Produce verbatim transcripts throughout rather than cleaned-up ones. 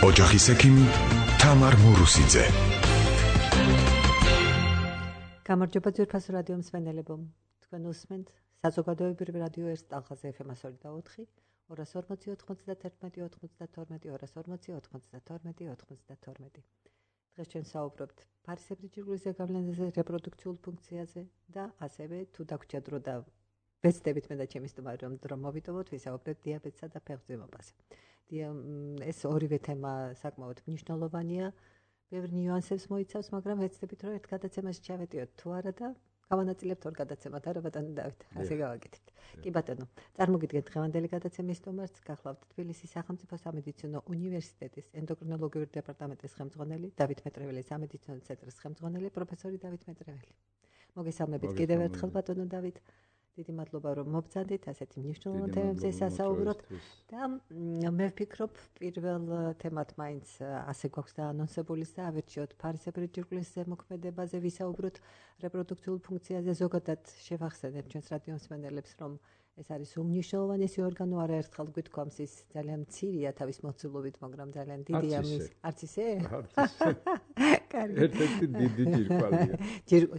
ოჯახის ექიმ თამარ მურუსიძე. გამარჯობა ძვირფას რადიო მსმენელებო. თქვენ უსმენთ საზოგადოებრივ რადიო ერთ ტალღაზე ეფ ემ ორი და ოთხი, ორას ორმოცი ოთხმოცდათერთმეტი ოცდათორმეტი, ორას ორმოცი ოცდათორმეტი ოცდათორმეტი. დღეს ჩვენ საუბრობთ ფარისებრი ჯირკვლის ზეგავლენაზე, რეპროდუქციულ ფუნქციაზე და ასევე თუ დაგვრჩა დრო და ვეცდებით მე და ჩემი სტუმარი რომ დრო მოვიტოვოთ, ვისაუბრებთ დიაბეტსა და ფეხმძიმობაზე. ეს ორივე თემა საკმაოდ მნიშვნელოვანია. ბევრ ნიუანსებს მოიცავს, მაგრამ ვეცდებით რომ ერთ გადაცემაში ჩავეტიოთ თუ არა და გავანაწილებთ ორ გადაცემად, არა ბატონო დავით, ასე გავაკეთებთ. კი ბატონო, წარმოგიდგენთ დღევანდელი გადაცემის სტუმარს, გახლავთ თბილისის სახელმწიფო სამედიცინო უნივერსიტეტის ენდოკრინოლოგიური დეპარტამენტის ხელმძღვანელი, დავით მეტრეველი, სამედიცინო ცენტრის ხელმძღვანელი, პროფესორი დავით მეტრეველი. მოგესალმებით კიდევ ერთხელ ბატონო დავით. დიდი მადლობა რომ მობრძანდით ასეთი მნიშვნელოვან თემებზე სასაუბროთ და მე ვფიქრობ პირველ თემად მაინც ასე გვაქვს დაანონსებული და ავირჩიოთ ფარისებრი ჯირკვლის ზემოქმედებაზე ვისაუბროთ რეპროდუქციულ ფუნქციაზე ზოგადად შევახსენებთ ჩვენს რადიო მსმენელებს რომ ეს არის უმნიშვნელოვანესი ორგანო არაერთხელ გვითქვამს ის ძალიან მცირეა თავის მოცულობით მაგრამ ძალიან დიდია მის არც ისე? არც ისე. კარგი. ერთ-ერთი დიდი ჯირკვალია.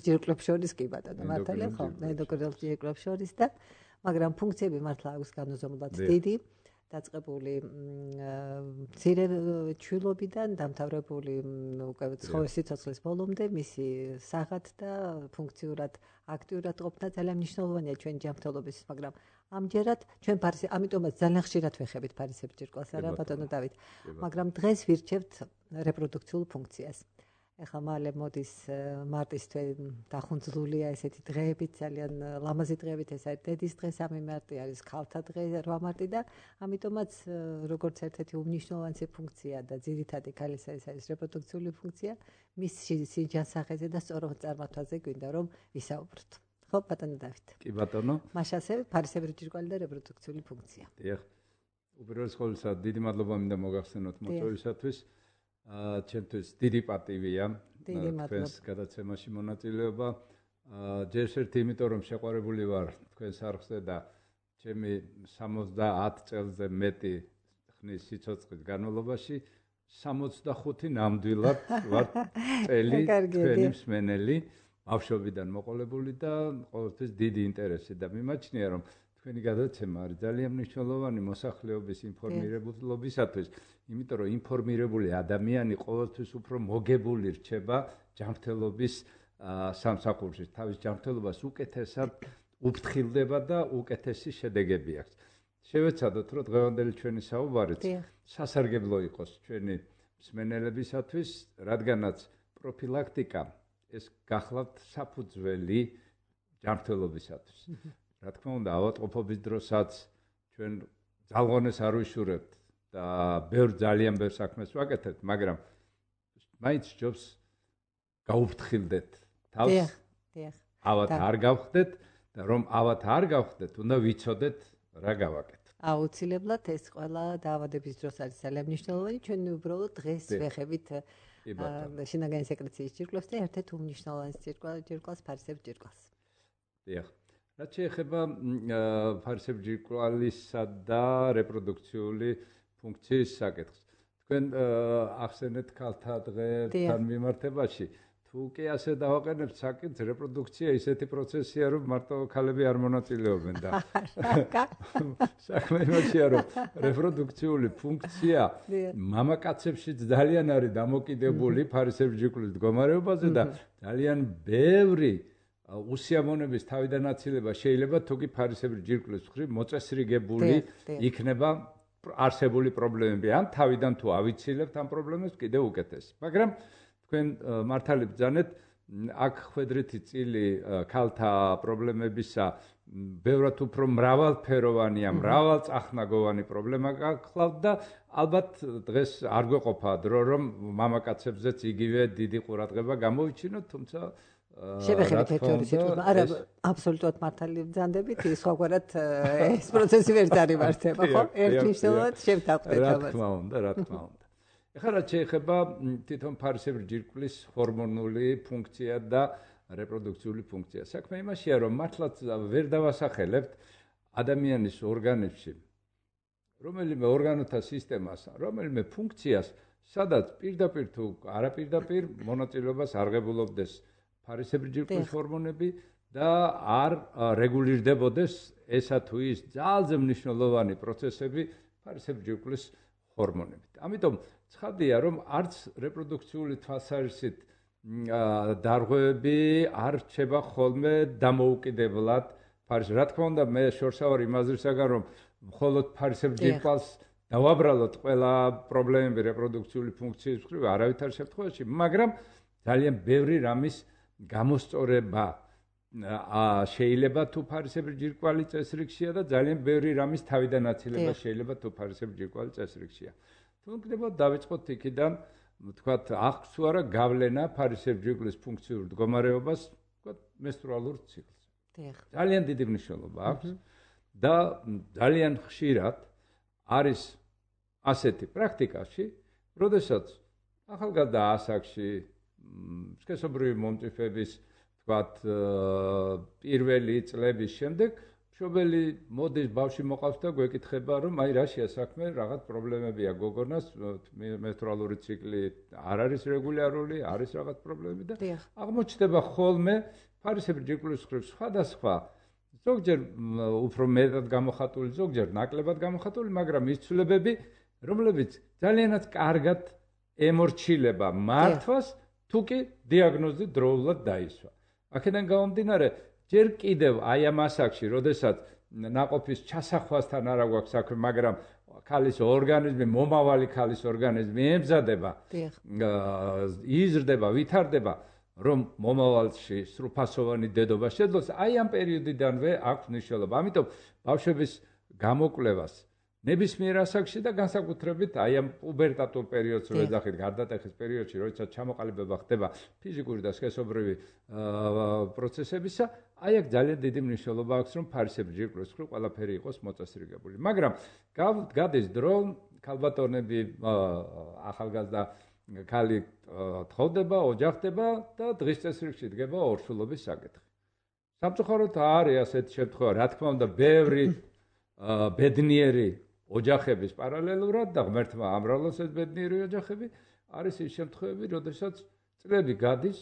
ჯირკვლებს შორის კი ბატონო მართალია ხო? ენდოკრინულ ჯირკვლებს შორის და მაგრამ ფუნქციები მართლა აქვს განუზომლად დიდი დაწყებული მცირე ჩვილობიდან დამთავრებული უკვე ცხოველის სიცოცხლის ბოლომდე მისი საღად და ფუნქციურად აქტიურად ყოფნა ძალიან მნიშვნელოვანია ჩვენი ჯანმრთელობის, მაგრამ ამჯერად ჩვენ ფარისი, ამიტომაც ძალიან ხშირად ვეხებით ფარისებრი ჯირკვალს, არა ბატონო დავით, მაგრამ დღეს ვირჩევთ რეპროდუქციულ ფუნქციას. ეხლა მალე მოდის მარტის თვე დახუნძლულია ესეთი დღეებით, ძალიან ლამაზი დღეებით, ეს არის დედის დღე, სამი მარტი არის ქალთა დღე, რვა მარტი და ამიტომაც როგორც ერთ-ერთი უმნიშვნელოვანესი ფუნქცია და ძირითადი ქალისა ეს არის რეპროდუქციული ფუნქცია, მის სიჯანსაღეზე და სწორ წარმართვაზე გვინდა რომ ვისაუბროთ. ხო ბატონო დავით. კი ბატონო. მაშინ ასე ფარისებრი ჯირკვალი და რეპროდუქციული ფუნქცია. დიახ. უპირველეს ყოვლისა დიდი მადლობა მინდა მოგახსენოთ მოწვევისათვის. აა ჩემთვის დიდი პატივია თქვენს გადაცემაში მონაწილეობა. აა ჯერ ერთი იმიტომ რომ შეყვარებული ვარ თქვენს არხზე და ჩემი სამოცდაათ წელზე მეტი ხნის სიცოცხლის განმავლობაში სამოცდახუთი ნამდვილად ვარ წელი თქვენი მსმენელი, ბავშვობიდან მოყოლებული და ყოველთვის დიდი ინტერესი და მიმაჩნია რომ თქვენი გადაცემა არის ძალიან მნიშვნელოვანი მოსახლეობის ინფორმირებულობისათვის, იმიტომ რომ ინფორმირებული ადამიანი ყოველთვის უფრო მოგებული რჩება ჯანმრთელობის სამსახურში, თავის ჯანმრთელობას უკეთესად უფრთხილდება და უკეთესი შედეგები აქვს. შევეცადოთ რომ დღევანდელი ჩვენი საუბარიც სასარგებლო იყოს ჩვენი მსმენელებისათვის, რადგანაც პროფილაქტიკა ეს გახლავთ საფუძველი ჯანმრთელობისათვის. რა თქმა უნდა, ავადმყოფობის დროსაც ჩვენ ძალღონეს არ ვიშურებთ და ბევრ ძალიან ბევრ საქმეს ვაკეთებთ, მაგრამ მაინც ჯობს გაუფრთხილდეთ თავს. დიახ, დიახ. ავად არ გავხდეთ და რომ ავად არ გავხდეთ, უნდა ვიცოდეთ რა გავაკეთოთ. აუცილებლად ეს ყველა დაავადების დროს არის ძალიან მნიშვნელოვანი, ჩვენ უბრალოდ დღეს ვეხებით შინაგანი სეკრეციის ჯირკვლებს და ერთ-ერთ უმნიშვნელოვანეს ჯირკვალს ფარისებრი ჯირკვალს. დიახ. რაც შეეხება ფარისებრი ჯირკვალისა და რეპროდუქციული ფუნქციის საკითხს. თქვენ ახსენეთ ქალთა დღესთან მიმართებაში. თუ კი ასე დავაყენებთ საკითხს, რეპროდუქცია ისეთი პროცესია, რომ მარტო ქალები არ მონაწილეობენ და საქმე იმაშია, რომ რეპროდუქციული ფუნქცია მამაკაცებშიც ძალიან არის დამოკიდებული ფარისებრი ჯირკვლის მდგომარეობაზე და ძალიან ბევრი უსიამოვნების თავიდანაცილება შეიძლება თუკი ფარისებრი ჯირკვლის მხრივ მოწესრიგებული იქნება არსებული პრობლემები ან თავიდან თუ ავიცილებთ ამ პრობლემებს კიდევ უკეთესი. მაგრამ თქვენ მართალი ბრძანეთ, აქ ხვედრითი წილი ქალთა პრობლემებისა ბევრად უფრო მრავალფეროვანია, მრავალწახნაგოვანი პრობლემა გახლავთ და ალბათ დღეს არ გვეყოფა დრო რომ მამაკაცებზეც იგივე დიდი ყურადღება გამოვიჩინოთ, თუმცა შევეხებით ერთ-ორი სიტყვა. არა, აბსოლუტურად მართალი ბრძანდებით, სხვაგვარად ეს პროცესი ვერ დაიმართება, ხო? ერთნიშნულად შევთანხმდეთ ამას. რა თქმა უნდა, რა თქმა უნდა. ეხლა რაც შეეხება თვითონ ფარისებრი ჯირკვლის ჰორმონული ფუნქცია და რეპროდუქციული ფუნქცია. საქმე იმაშია, რომ მართლაც ვერ დავასახელებთ ადამიანის ორგანიზმში რომელიმე ორგანოთა სისტემას, რომელიმე ფუნქციას სადაც პირდაპირ თუ არაპირდაპირ მონაწილეობას აღებულობდეს ფარისებრი ჯირკვლის ჰორმონები და არ რეგულირდებოდეს ესა თუ ის ძალზე მნიშვნელოვანი პროცესები ფარისებრი ჯირკვლის ჰორმონებით. ამიტომ ცხადია, რომ არც რეპროდუქციული თვალსაზრისით დარღვევები არ რჩება ხოლმე დამოუკიდებლად ფარის. რა თქმა უნდა, მე შორსავარ იმაზრისაგან, რომ მხოლოდ ფარისებრი ჯირკვალს დავაბრალოთ ყველა პრობლემები რეპროდუქციული ფუნქციის მხრივ, არავითარ შემთხვევაში, მაგრამ ძალიან ბევრი რამის გამოსწორება შეიძლება თუ ფარისებრი ჯირკვალი წესრიგშია და ძალიან ბევრი რამის თავიდან აცილება შეიძლება თუ ფარისებრი ჯირკვალი წესრიგშია. თუნდაც დავიწყოთ იქიდან, ვთქვათ, აქვს თუ არა გავლენა ფარისებრი ჯირკვლის ფუნქციურ მდგომარეობას, ვთქვათ, მენსტრუალურ ციკლს. ძალიან დიდი მნიშვნელობა აქვს და ძალიან ხშირად არის ასეთი პრაქტიკაში, როდესაც ახალგაზრდა ასაკში სქესობრივი მომწიფების ვთქვათ პირველი წლების შემდეგ მშობელი მოდის ბავშვი მოყავს და გვეკითხება, რომ აი რაშია საქმე, რაღაც პრობლემებია გოგონას, მენსტრუალური ციკლი არ არის რეგულარული, არის რაღაც პრობლემები და აღმოჩნდება ხოლმე ფარისებრი ჯირკვლის მხრივ სხვადასხვა, ზოგჯერ უფრო მეტად გამოხატული, ზოგჯერ ნაკლებად გამოხატული, მაგრამ ის ცვლილებები, რომლებიც ძალიანაც კარგად ემორჩილება მართვას, თუ კი დიაგნოზი დროულად დაისვა. აქედან გამომდინარე, ჯერ კიდევ აი ამ ასაკში, როდესაც ნაყოფის ჩასახვასთან არ აქვს საქმე, მაგრამ ქალის ორგანიზმი, მომავალი ქალის ორგანიზმი ემზადება, იზრდება, ვითარდება, რომ მომავალში სრულფასოვანი დედობა შეძლოს, აი ამ პერიოდიდანვე აქვს მნიშვნელობა. ამიტომ ბავშვების გამოკვლევას ნებისმიერ ასაკში და განსაკუთრებით აი ამ პუბერტატულ პერიოდს, რო ეძახით, გარდატეხის პერიოდში, როდესაც ჩამოყალიბება ხდება ფიზიკური და სქესობრივი პროცესებისა, აი აქ ძალიან დიდი მნიშვნელობა აქვს, რომ ფარისებრი ჯირკვლის მხრივ ყველაფერი იყოს მოწესრიგებული. მაგრამ გადის დრო, ქალბატონები ახალგაზრდა ქალი თხოვდება, ოჯახდება და დღის წესრიგში დგება ორსულობის საკითხი. სამწუხაროდ არის ასეთი შემთხვევა, რა თქმა უნდა, ბევრი ბედნიერი ოჯახების პარალელურად და ღმერთმა ამრავლოს ეს ბედნიერი ოჯახები, არის ის შემთხვევები, როდესაც წლები გადის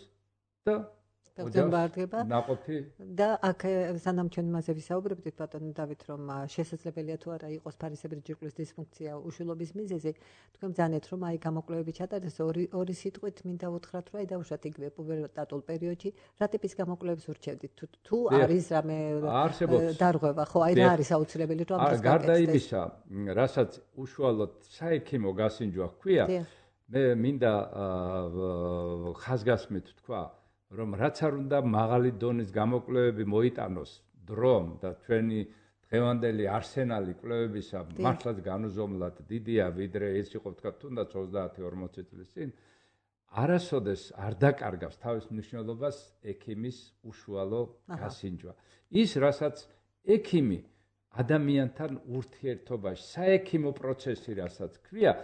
და ოჯახდება ნაყოფი და აქ სანამ ჩვენ მასე ვისაუბრებდით ბატონო დავით, რომ შესაძლებელია თუ არა იყოს ფარისებრი ჯირკვლის დისფუნქცია უშულობის მიზეზი, თქვენ ბრძანეთ, რომ აი გამოკვლევები ჩატარდეს ორი ორი სიტყვით მინდა უთხრათ, რომ აი დაუშვათ იგივე პუბერტატულ პერიოდში რა ტიპის გამოკვლევებს ურჩევდით, თუ თუ არის რამე დარღვევა, ხო, აი რა არის აუცილებელი, რომ ამას გარდა იმისა, რასაც უშუალოდ საექიმო გასინჯვა ჰქვია, მე მინდა ხაზგასმით თქვა, რომ რაც არ უნდა მაღალი დონის გამოკვლევები მოიტანოს დრომ და ჩვენი დღევანდელი არსენალი კვლევებისა მართლაც განუზომლად დიდია, ვიდრე ის იყო თქვა თუნდაც ოცდაათი ორმოცი წლის წინ, არასოდეს არ დაკარგავს თავის მნიშვნელობას ექიმის უშუალო გასინჯვა. ის, რასაც ექიმი ადამიანთან ურთიერთობაში, საექიმო პროცესი, რასაც ქვია,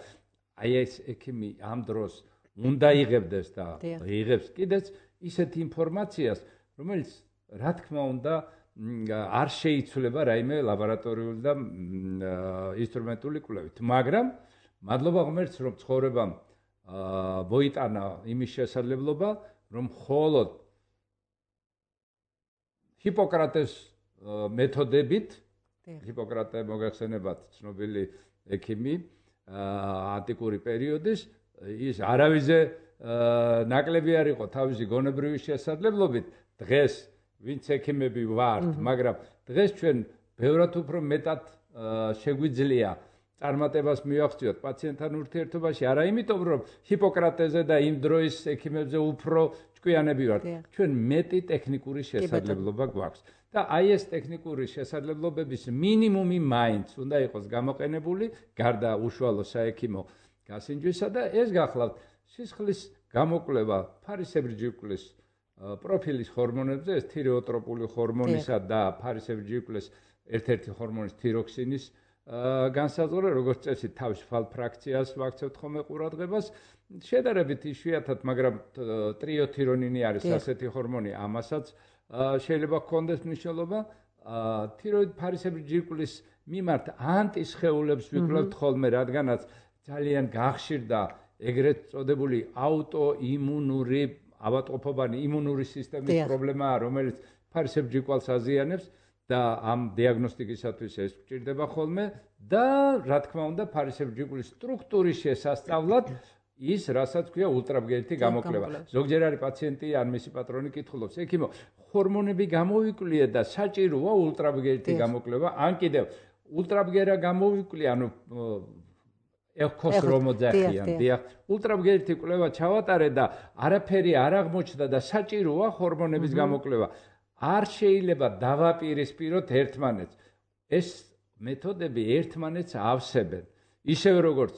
აი ეს ექიმი ამ დროს უნდა იღებდეს და იღებს კიდეც ისეთ ინფორმაციას, რომელიც რა თქმა უნდა არ შეიცვლება რაიმე ლაბორატორიული და ინსტრუმენტული კვლევით, მაგრამ მადლობა ღმერთს, რომ ცხოვრებამ მოიტანა იმის შესაძლებლობა, რომ მხოლოდ ჰიპოკრატეს მეთოდებით, ჰიპოკრატე მოგახსენებათ ცნობილი ექიმი ანტიკური პერიოდის, ის არავიზე ნაკლები არ იყო თავისი გონებრივი შესაძლებლობით, დღეს ვინც ექიმები ვართ, მაგრამ დღეს ჩვენ ბევრად უფრო მეტად შეგვიძლია წარმატებას მივახციოთ პაციენტთან ურთიერთობაში, არა იმიტომ, რომ ჰიპოკრატეზე და იმ დროის ექიმებზე უფრო ჭკვიანები ვართ, ჩვენ მეტი ტექნიკური შესაძლებლობა გვაქვს. და აი ეს ტექნიკური შესაძლებლობების მინიმუმი მაინც უნდა იყოს გამოყენებული გარდა უშუალო საექიმო გასინჯვისა და ეს გახლავთ სისხლის გამოკვლევა ფარისებრი ჯირკვლის პროფილის ჰორმონებზე, ეს თირეოტროპული ჰორმონისა და ფარისებრი ჯირკვლის ერთ-ერთი ჰორმონის თიროქსინის განსაზღვრა, როგორც წესი თავისუფალ ფრაქციას ვაქცევთ ხოლმე ყურადღებას, შედარებით იშვიათად, მაგრამ ტრიოთირონინი არის ასეთი ჰორმონი, ამასაც შეიძლება ჰქონდეს მნიშვნელობა. თიროიდ ფარისებრი ჯირკვლის მიმართ ანტისხეულებს ვიკვლევთ ხოლმე, რადგანაც ძალიან გახშირდა ეგრეთ წოდებული აუტოიმუნური ავადმყოფობანი იმუნური სისტემის პრობლემაა, რომელიც ფარისებრ ჯირკვალს აზიანებს და ამ დიაგნოსტიკისათვის ეს გვჭირდება ხოლმე და რა თქმა უნდა ფარისებრ ჯირკვლის სტრუქტურის შესასწავლად ის რასაც ქვია ულტრაბგერითი გამოკვლევა. ზოგჯერ არის პაციენტი ან მისი პატრონი კითხულობს, ექიმო, ჰორმონები გამოვიკვლიე და საჭიროა ულტრაბგერითი გამოკვლევა, ან კიდევ ულტრაბგერა გამოვიკვლიე, ანუ ეხოს რომ მოძახიან, დიახ, ულტრაბგერითი კვლევა ჩავატარე და არაფერი არ აღმოჩნდა და საჭიროა ჰორმონების გამოკვლევა. არ შეიძლება დავაპირისპიროთ ერთმანეთს. ეს მეთოდები ერთმანეთს ავსებენ. ისევე როგორც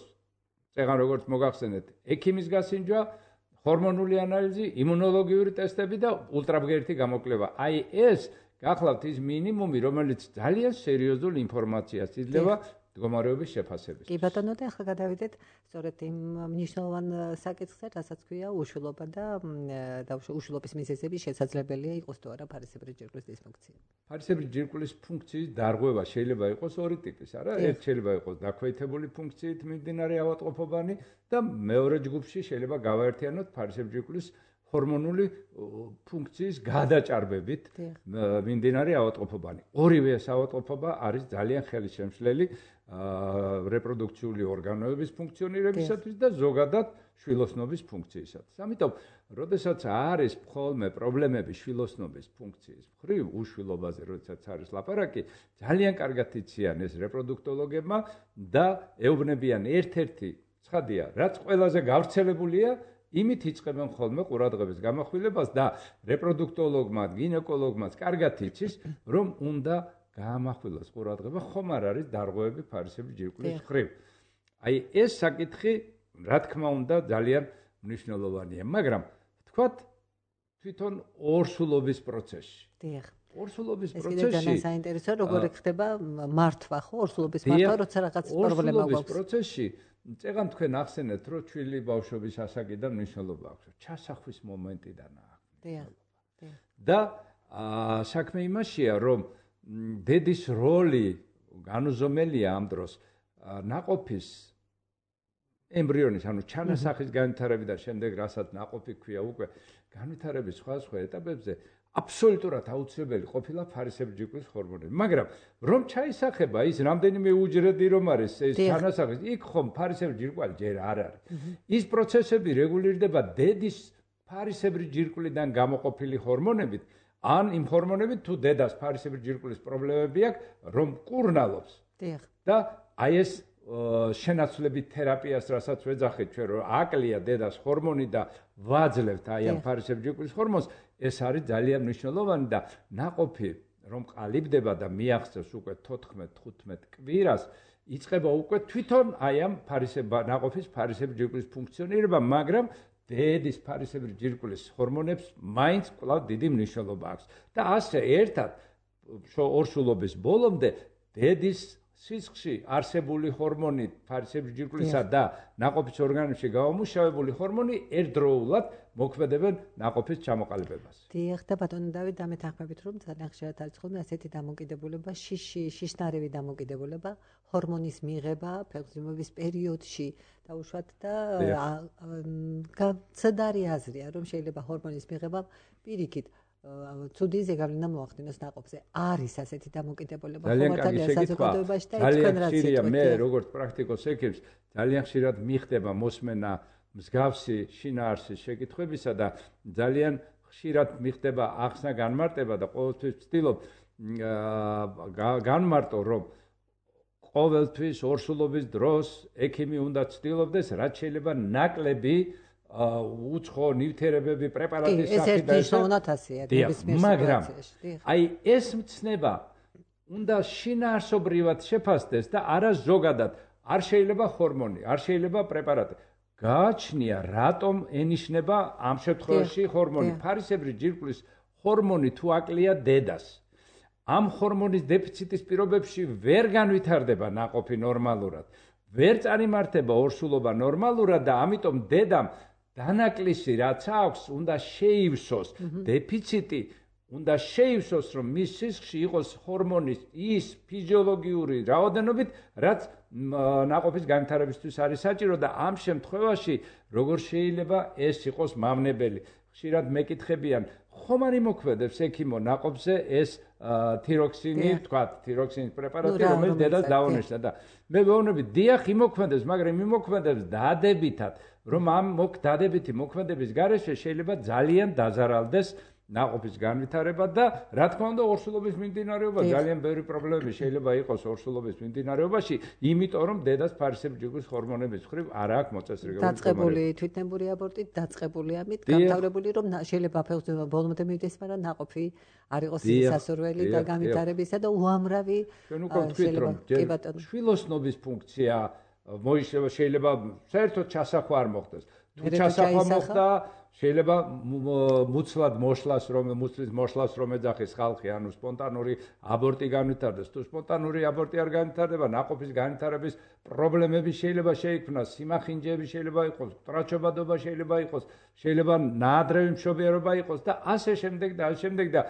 წეგან როგორც მოგახსენეთ, ექიმის გასინჯვა, ჰორმონული ანალიზი, იმუნოლოგიური ტესტები და ულტრაბგერითი გამოკვლევა. აი ეს გახლავთ ის მინიმუმი, რომელიც ძალიან სერიოზულ ინფორმაციას იძლევა მდგომარეობის შეფასების. კი ბატონო, და ახლა გადავიდეთ სწორედ იმ მნიშვნელოვან საკითხზე, რასაც ქვია უშვილობა და უშვილობის მიზეზები შესაძლებელია იყოს თუ არა ფარისებრი ჯირკვლის დისფუნქცია. ფარისებრი ჯირკვლის ფუნქციის დარღვევა შეიძლება იყოს ორი ტიპის, არა? ერთ შეიძლება იყოს დაქვეითებული ფუნქციით მიმდინარე ავადმყოფობანი და მეორე ჯგუფში შეიძლება გავაერთიანოთ ფარისებრი ჯირკვლის ჰორმონული ფუნქციის გადაჭარბებით მიმდინარე ავადმყოფობანი. ორივე ეს ავადმყოფობა არის ძალიან ხელისშემშლელი რეპროდუქციული ორგანოების ფუნქციონირებისათვის და ზოგადად შვილოსნობის ფუნქციისათვის. ამიტომ, როდესაც არის ხოლმე პრობლემები შვილოსნობის ფუნქციის მხრივ, უშვილობაზე, როდესაც არის ლაპარაკი, ძალიან კარგად იციან ეს რეპროდუქტოლოგებმა და ეუბნებიან ერთ-ერთი ცხადია, რაც ყველაზე გავრცელებულია, იმით იწყებენ ხოლმე ყურადღების გამახვილებას და რეპროდუქტოლოგმა, გინეკოლოგმაც კარგად იცის, რომ უნდა გაამახვილოს ყურადღება, ხომ არ არის დარღვევები ფარისებრი ჯირკვლის მხრივ. აი ეს საკითხი, რა თქმა უნდა, ძალიან მნიშვნელოვანია, მაგრამ ვთქვათ, თვითონ ორსულობის პროცესში. დიახ. ორსულობის პროცესში. ეს ძალიან საინტერესოა, როგორ ხდება მართვა, ხო, ორსულობის მართვა, როცა რაღაც პრობლემა გვაქვს. ორსულობის პროცესში წეგან თქვენ ახსენეთ, რომ ჩვილი ბავშვობის ასაკიდან მნიშვნელობა აქვს. ჩასახვის მომენტიდან აქვს. დიახ. დიახ. და საქმე იმაშია, რომ დედის როლი განუზომელია ამ დროს ნაყოფის ემბრიონის, ანუ ჩანასახის განვითარებიდან შემდეგ, რასაც ნაყოფი ქვია უკვე განვითარების სხვადასხვა ეტაპებზე აბსოლუტურად აუცილებელი ყოფილა ფარისებრი ჯირკვლის ჰორმონები. მაგრამ რომ ჩაისახება ის რამდენიმე უჯრედი რომ არის ეს ჩანასახის, იქ ხომ ფარისებრი ჯირკვალი ჯერ არ არის. ის პროცესები რეგულირდება დედის ფარისებრი ჯირკვლიდან გამოყოფილი ჰორმონებით, ან იმ ჰორმონებით თუ დედას ფარისებრი ჯირკვლის პრობლემები აქვს, რომ კურნალობს. დიახ. და აი ეს შენაცვლებით თერაპიას, რასაც ვეძახეთ ჩვენ, რომ აკლია დედას ჰორმონი და ვაძლევთ აი ამ ფარისებრი ჯირკვლის ჰორმონს, ეს არის ძალიან მნიშვნელოვანი და ნაყოფი რომ ყალიბდება და მიაღწევს უკვე თოთხმეტ თხუთმეტ კვირას, იწყება უკვე თვითონ აი ამ ფარისებრი ნაყოფის ფარისებრი ჯირკვლის ფუნქციონირება, მაგრამ დედის ფარისებრი ჯირკვლის ჰორმონებს მაინც კვლავ დიდი მნიშვნელობა აქვს. და ასე ერთად ორსულობის ბოლომდე დედის სისხლში არსებული ჰორმონი ფარისებრი ჯირკვლისა და ნაყოფის ორგანიზმში გამომუშავებული ჰორმონი ერთდროულად მოქმედებენ ნაყოფის ჩამოყალიბებას. დიახ, და ბატონო დავით, დამეთანხმებით, რომ ძალიან ხშირად არის ხოლმე ასეთი დამოკიდებულება, შიში, შიშნარევი დამოკიდებულება, ჰორმონის მიღება ფეხმძიმების პერიოდში და უშუალოდ და ცდარი აზრია, რომ შეიძლება ჰორმონის მიღება პირიქით ცუდი ზეგავლენა მოახდინოს ნაყოფზე. არის ასეთი დამოკიდებულება ხომარდალია საზოგადოებაში და თქვენ რაც იცით. მე როგორც პრაქტიკოს ექიმს ძალიან ხშირად მიხდება მოსმენა მსგავსი შინაარსის შეკითხვებისა და ძალიან ხშირად მიხდება ახსნა განმარტება და ყოველთვის ვცდილობ განმარტო, რომ ყოველთვის ორსულობის დროს ექიმი უნდა ცდილობდეს, რაც შეიძლება ნაკლები უცხო ნივთიერებები პრეპარატის სახით და ეს ნათასია მაგრამ აი ეს მცნება უნდა შინაარსობრივად შეფასდეს და არა ზოგადად არ შეიძლება ჰორმონი, არ შეიძლება პრეპარატი. გააჩნია რატომ ენიშნება ამ შემთხვევაში ჰორმონი. ფარისებრი ჯირკვლის ჰორმონი თუ აკლია დედას. ამ ჰორმონის დეფიციტის პირობებში ვერ განვითარდება ნაყოფი ნორმალურად. ვერ წარიმართება ორსულობა ნორმალურად და ამიტომ დედამ დანაკლისი რაც აქვს, უნდა შეივსოს. დეფიციტი უნდა შეივსოს, რომ მის სისხლში იყოს ჰორმონის ის ფიზიოლოგიური რაოდენობით, რაც ნაყოფის განვითარებისთვის არის საჭირო და ამ შემთხვევაში როგორ შეიძლება ეს იყოს მავნებელი. ხშირად მეკითხებიან, ხომ არ იმოქმედებს ექიმო ნაყოფზე ეს თიროქსინი, თქვა, თიროქსინის პრეპარატი, რომელიც დედას დაუნიშნა და მე ვეუბნები, დიახ, იმოქმედებს, მაგრამ იმოქმედებს დადებითად, რომ ამ დადებითი მოქმედების გარეშე შეიძლება ძალიან დაზარალდეს ნაყოფის განვითარება და რა თქმა უნდა ორსულობის მიმდინარეობა ძალიან ბევრი პრობლემები შეიძლება იყოს ორსულობის მიმდინარეობაში, იმიტომ რომ დედას ფარისებრჯიგვის ჰორმონების მხრივ არ აქვს მოწესრიგებული. დაწყებული თვითნებური აბორტით, დაწყებული ამით, გამთავრებული რომ შეიძლება ფეხზე ბოლომდე მივიდეს, მაგრამ ნაყოფი არ იყოს სასურველი და განვითარებისა და უამრავი შეიძლება კი ბატონო. შვილოსნობის ფუნქცია მოიშლება, შეიძლება საერთოდ ჩასახვა არ მოხდეს. თუ ჩასახვა მოხდა შეიძლება მუცლად მოშლას რომ მუცლის მოშლას რომ ეძახის ხალხი, ანუ სპონტანური აბორტი განვითარდეს. თუ სპონტანური აბორტი არ განვითარდება, ნაყოფის განვითარების პრობლემები შეიძლება შეიქმნას, სიმახინჯეები შეიძლება იყოს, ტრაჩობადობა შეიძლება იყოს, შეიძლება ნაადრევი მშობიარობა იყოს და ასე შემდეგ და ასე შემდეგ და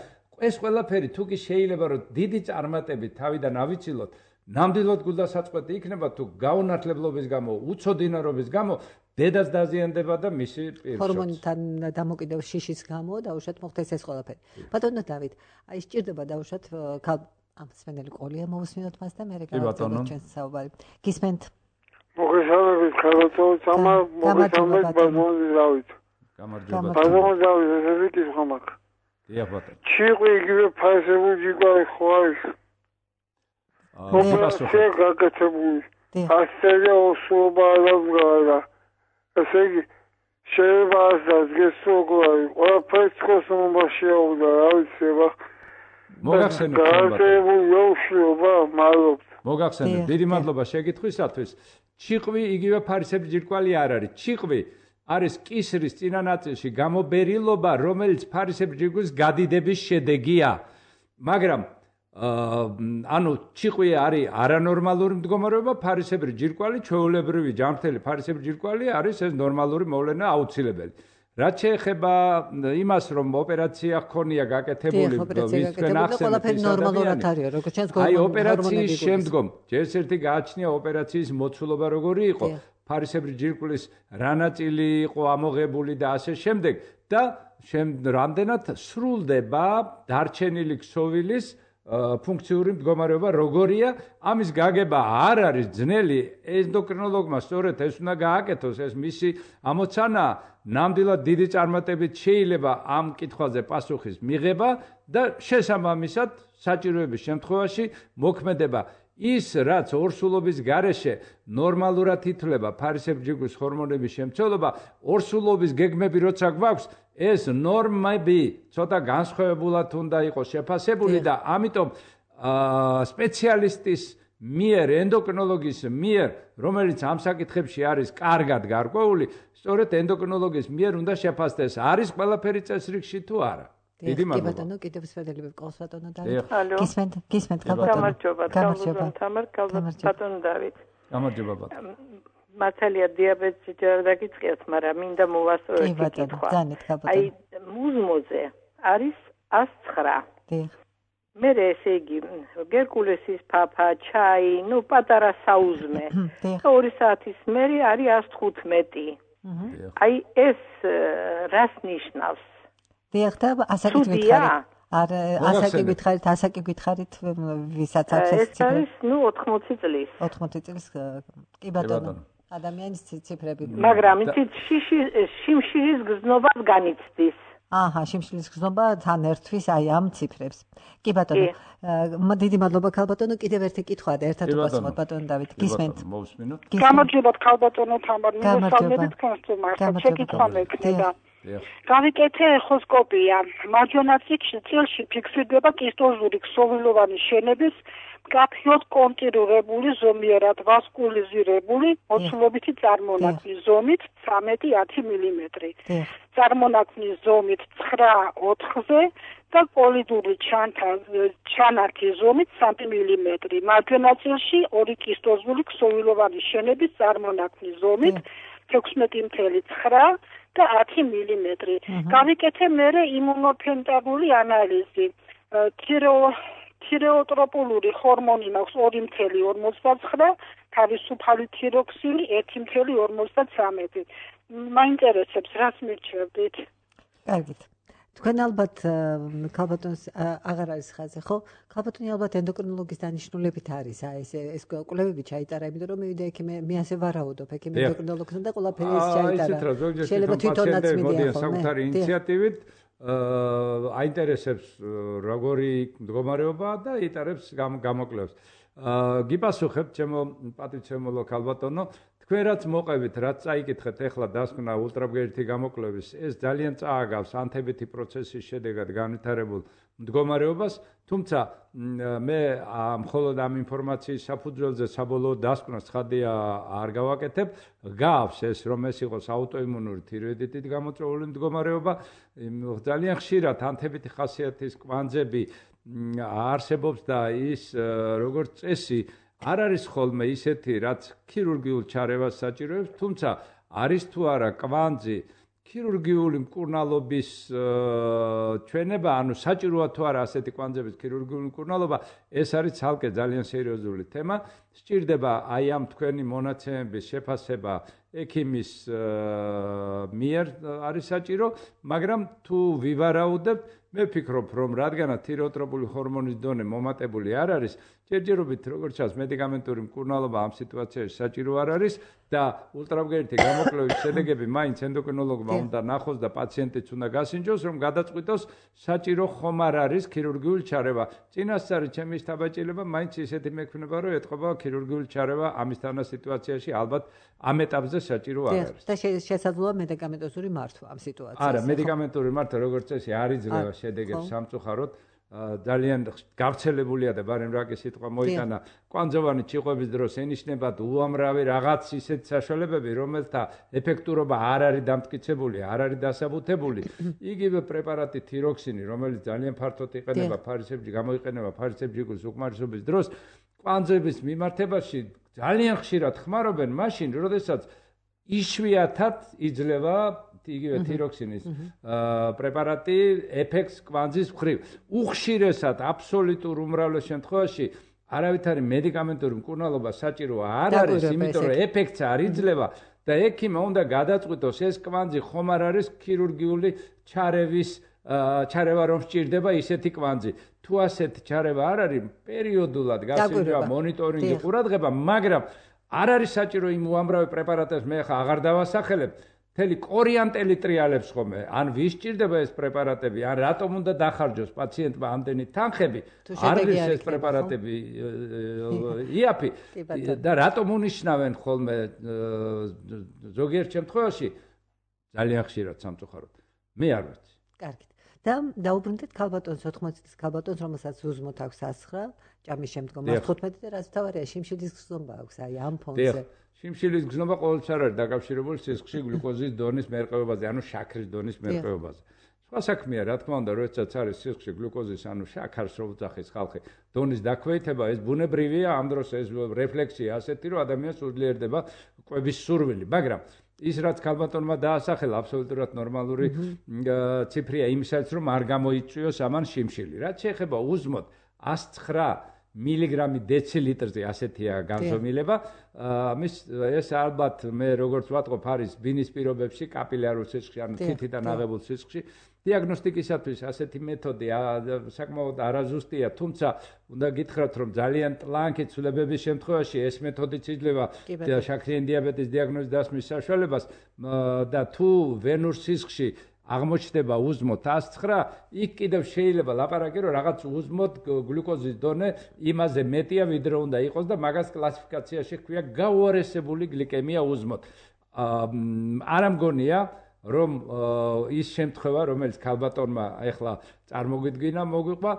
ეს ყველაფერი თუ კი შეიძლება რომ დიდი წარმატებით თავიდან ავიცილოთ, ნამდვილად გულდასაწყვეტი იქნება თუ გაუნათლებლობის გამო, უცოდინარობის გამო დედას დაზიანდება და მისი პირშოც. ჰორმონთან დამოკიდებ შიშის გამო დაუშვათ მოხდეს ეს ყველაფერი. ბატონო დავით, აი სჭირდება დაუშვათ ამ სვენელი ყოლია მოვუსმინოთ მას და მე გავაგზავნოთ ჩვენს საუბარი. გისმენთ? მოგესალმებით, ხალხო, სამა მოგესალმებით ბატონო დავით. გამარჯობა. ბატონო დავით, ესე ვიკითხო მაგ. დიახ ბატონო. ჩიყვი იგივე ფასებული ჯიკვარი ხო არის? აა, გაკეთებული. ასწელე ოსულობა არა. ესე იგი შეიძლება ასდას გესოგვარი ყველაფერს ხოსმობა შეაუდა რა ვიცი აბა მოგახსენეთ მოგახსენეთ დიდი მადლობა შეკითხვისათვის ჩიყვი იგივე ფარისებრჯირკვალი არ არის ჩიყვი არის კისრის წინა ნაწილში გამობერილობა რომელიც ფარისებრჯირკვის გადიდების შედეგია მაგრამ ანუ ჩიყვი არის არანორმალური მდგომარეობა, ფარისებრი ჯირკვალი, ჩვეულებრივი ჯანმრთელი ფარისებრი ჯირკვალი არის ეს ნორმალური მოვლენა აუცილებელი. რაც შეეხება იმას, რომ ოპერაცია ჰქონია გაკეთებული, ვის თქვენ ახსენეთ, აი ოპერაციის შემდგომ, ჯერს ერთი გააჩნია ოპერაციის მოცულობა როგორი იყო, ფარისებრი ჯირკვლის რა ნაწილი იყო ამოღებული და ასე შემდეგ და რამდენად სრულდება დარჩენილი ქსოვილის ფუნქციური მდგომარეობა როგორია ამის გაგება არ არის ძნელი ენდოკრინოლოგმა სწორედ ეს უნდა გააკეთოს ეს მისი ამოცანა ნამდვილად დიდი წარმატებით შეიძლება ამ კითხვაზე პასუხის მიღება და შესაბამისად საჭიროების შემთხვევაში მოქმედება ის რაც ორსულობის გარეშე ნორმალურად ითვლება ფარისებრჯიგვის ჰორმონების შემცველობა ორსულობის გეგმები როცა გვაქვს ეს ნორმები ცოტა განსხვავებულად უნდა იყოს შეფასებული და ამიტომ სპეციალისტის მიერ ენდოკრინოლოგის მიერ რომელიც ამ საკითხებში არის კარგად გარკვეული სწორედ ენდოკრინოლოგის მიერ უნდა შეფასდეს არის ყველაფერი წესრიგში თუ არა დიდი მადლობა. კი ბატონო, კიდევ სვედელი ვიყავს ბატონო დავით. გისმენთ, გისმენთ ბატონო. გამარჯობა, გამარჯობა. თამარ ბატონო დავით. გამარჯობა ბატონო. მართალია დიაბეტი ჯერ დაგიწყიათ, მაგრამ მინდა მოვასწოროთ კითხვა. აი მუზმოზე არის ას ცხრა. დიახ. მე ესე იგი გერკულესის ფაფა, ჩაი, ნუ პატარა საუზმე. ორი საათის მერე არის ას თხუთმეტი. აი ეს რას ნიშნავს? დიახ და ასაკი გითხარით. არ ასაკი გითხარით, ასაკი გითხარით ვისაც აქვს ეს ციფრი? ეს არის ნუ ოთხმოცი წლის. ოთხმოცი წლის კი ბატონო. ადამიანის ციფრები. მაგრამ იცით შიმშილის გზნობას განიცდის. აჰა, შიმშილის გზნობა თან ერთვის აი ამ ციფრებს. კი ბატონო. დიდი მადლობა ქალბატონო, კიდევ ერთი კითხვა და ერთად უპასუხოთ ბატონო დავით. გისმენთ? მოვუსმინოთ. გამარჯობა ქალბატონო თამარ, მოგესალმებით თქვენს თემასთან. შეკითხვა მექნება. გავიკეთე ეხოსკოპია. მარჯვენა წილში ფიქსირდება კისტოზური ქსოვილოვანი შენების მკაფიოდ კონტურირებული ზომიერად ვასკულიზირებული მოცულობითი წარმონაქმნის ზომით ცხრამეტი ათი მილიმეტრი. წარმონაქმნის ზომით ცხრა ოთხზე და პოლიდური ჩანართი ზომით სამი მილიმეტრი. მარჯვენა წილში ორი კისტოზული ქსოვილოვანი შენების წარმონაქმნის ზომით ექვსმეტი წუთი ცხრა და ათი მილიმეტრი. გავიკეთე მერე იმუნოფენტარული ანალიზი. თირეოტროპული ჰორმონი მაქვს ორი ორმოცდაოთხი ორმოცდაცხრა, თავისუფალი თიროქსინი ერთი ორმოცდათვრამეტი. მაინტერესებს რაც მირჩევდით. კარგით. თქვენ ალბათ ქალბატონს აღარ არის ხაზე, ხო? ქალბატონი ალბათ ენდოკრინოლოგის დანიშნულებით არის, აი ეს ეს კვლევები ჩაიტარა, იმიტომ რომ მივიდა ექიმე, მე ასე ვარაუდობ, ექიმე ენდოკრინოლოგთან და ყველაფერი ეს ჩაიტარა. შეიძლება თვითონაც მიდიან საკუთარი ინიციატივით აინტერესებს როგორი მდგომარეობაა და იტარებს გამოკვლევებს. გიპასუხებ ჩემო პატივცემულო ქალბატონო, თქვენ რაც მოყევით, რაც წაიკითხეთ ახლა დასკვნა ულტრაბგერითი გამოკვლევის, ეს ძალიან წააგავს ანთებითი პროცესის შედეგად განვითარებულ მდგომარეობას, თუმცა მე მხოლოდ ამ ინფორმაციის საფუძველზე საბოლოო დასკვნას ცხადია არ გავაკეთებ, გავს ეს რომ ეს იყოს აუტოიმუნური თიროიდიტით გამოწვეული მდგომარეობა, ძალიან ხშირად ანთებითი ხასიათის კვანძები არსებობს და ის როგორც წესი არ არის ხოლმე ისეთი, რაც ქირურგიულ ჩარევას საჭიროებს, თუმცა არის თუ არა კვანძი ქირურგიული მკურნალობის ჩვენება, ანუ საჭიროა თუ არა ასეთი კვანძების ქირურგიული მკურნალობა, ეს არის ცალკე ძალიან სერიოზული თემა. სჭირდება აი ამ თქვენი მონაცემების შეფასება ექიმის მიერ არის საჭირო, მაგრამ თუ ვივარაუდებთ, მე ვფიქრობ, რომ რადგანაც თირეოტროპული ჰორმონის დონე მომატებული არ არის, ჯერჯერობით როგორც ჩანს მედიკამენტური მკურნალობა ამ სიტუაციაში საჭირო არ არის და ულტრაბგერითი გამოკვლევის შედეგები მაინც ენდოკრინოლოგმა უნდა ნახოს და პაციენტიც უნდა გასინჯოს, რომ გადაწყვიტოს საჭირო ხომ არ არის ქირურგიული ჩარევა. წინასწარი ჩემი შთაბეჭდილება მაინც ისეთი მექნება, რომ ეთყობა ქირურგიული ჩარევა ამისთანა სიტუაციაში ალბათ ამ ეტაპზე საჭირო არ არის. და შესაძლოა მედიკამენტოზური მართვა ამ სიტუაციაში. არა, მედიკამენტური მართვა როგორც წესი არ იძლევა შედეგებს სამწუხაროდ. ძალიან გავრცელებულია და ბარემ რაკის სიტყვა მოიტანა კვანძოვანი ჩიყვების დროს ენიშნებათ უამრავი რაღაც ისეთ საშუალებები, რომელთა ეფექტურობა არ არის დამტკიცებული, არ არის დასაბუთებული. იგივე პრეპარატი თიროქსინი, რომელიც ძალიან ფართოდ იყენება ფარისებრ გამოიყენება ფარისებრიგულის უკმარისობის დროს, კვანძების მიმართებაში ძალიან ხშირად ხმარობენ მაშინ, როდესაც იშვიათად იძლევა იგივე თიროქსინის პრეპარატი ეფექტს კვანძის მხრივ. უხშირესად აბსოლუტურ უმრავლეს შემთხვევაში არავითარი მედიკამენტური მკურნალობა საჭირო არ არის, იმიტომ რომ ეფექტს არ იძლევა და ექიმმა უნდა გადაწყვიტოს ეს კვანძი ხომ არ არის ქირურგიული ჩარევის ჩარევა რომ სჭირდება ისეთი კვანძი. თუ ასეთი ჩარევა არ არის, პერიოდულად გასინჯვა მონიტორინგი ყურადღება, მაგრამ არ არის საჭირო იმ უამრავი პრეპარატებს მე ხა აღარ დავასახელებ. მთელი კორიანტელი ტრიალებს ხომ, ან ვის სჭირდება ეს პრეპარატები, ან რატომ უნდა დახარჯოს პაციენტმა ამდენი თანხები, არ არის ეს პრეპარატები იაფი და რატომ უნიშნავენ ხოლმე ზოგიერთ შემთხვევაში ძალიან ხშირად სამწუხაროდ. მე არ ვიცი. კარგით. და დაუბრუნდეთ ქალბატონს ოთხმოცი წლის ქალბატონს, რომელსაც უზმოთ აქვს ასხრა, ჭამის შემდგომ თხუთმეტი და რაც თავარია შიმშილის გზნობა აქვს აი ამ ფონზე. შიმშილის გზნობა ყოველთვის არ არის დაკავშირებული სისხლში გლუკოზის დონის მერყეობაზე, ანუ შაქრის დონის მერყეობაზე. სხვა საქმეა, რა თქმა უნდა, როდესაც არის სისხლში გლუკოზის, ანუ შაქარს რო უძახის ხალხი, დონის დაქვეითება, ეს ბუნებრივია, ამ დროს ეს რეფლექსია ასეთი, რომ ადამიანს უძლიერდება კვების სურვილი, მაგრამ ის რაც ქალბატონმა დაასახელა აბსოლუტურად ნორმალური ციფრია იმისაც, რომ არ გამოიწვიოს ამან შიმშილი. რაც შეეხება უზმოთ ას ცხრა მილიგრამი დეცილიტრზე ასეთია განზომილება. ამის ეს ალბათ მე როგორც ვატყობ არის ბინის პირობებში კაპილარულ სისხლში, ანუ თითიდან აღებულ სისხლში. დიაგნოსტიკისათვის ასეთი მეთოდი საკმაოდ არაზუსტია, თუმცა უნდა გითხრათ, რომ ძალიან ტლანქი ცვლილებების შემთხვევაში ეს მეთოდიც იძლევა შაქრიანი დიაბეტის დიაგნოზის დასმის საშუალებას და თუ ვენურ სისხლში აღმოჩნდება უზმოთ ას ცხრა, იქ კიდევ შეიძლება ლაპარაკი რომ რაღაც უზმოთ გლუკოზის დონე იმაზე მეტია, ვიდრე უნდა იყოს და მაგას კლასიფიკაციაში ჰქვია გაუარესებული გლიკემია უზმოთ. არ ამგონია რომ ის შემთხვევა, რომელიც ქალბატონმა ახლა წარმოგვიდგინა, მოგვიყვა,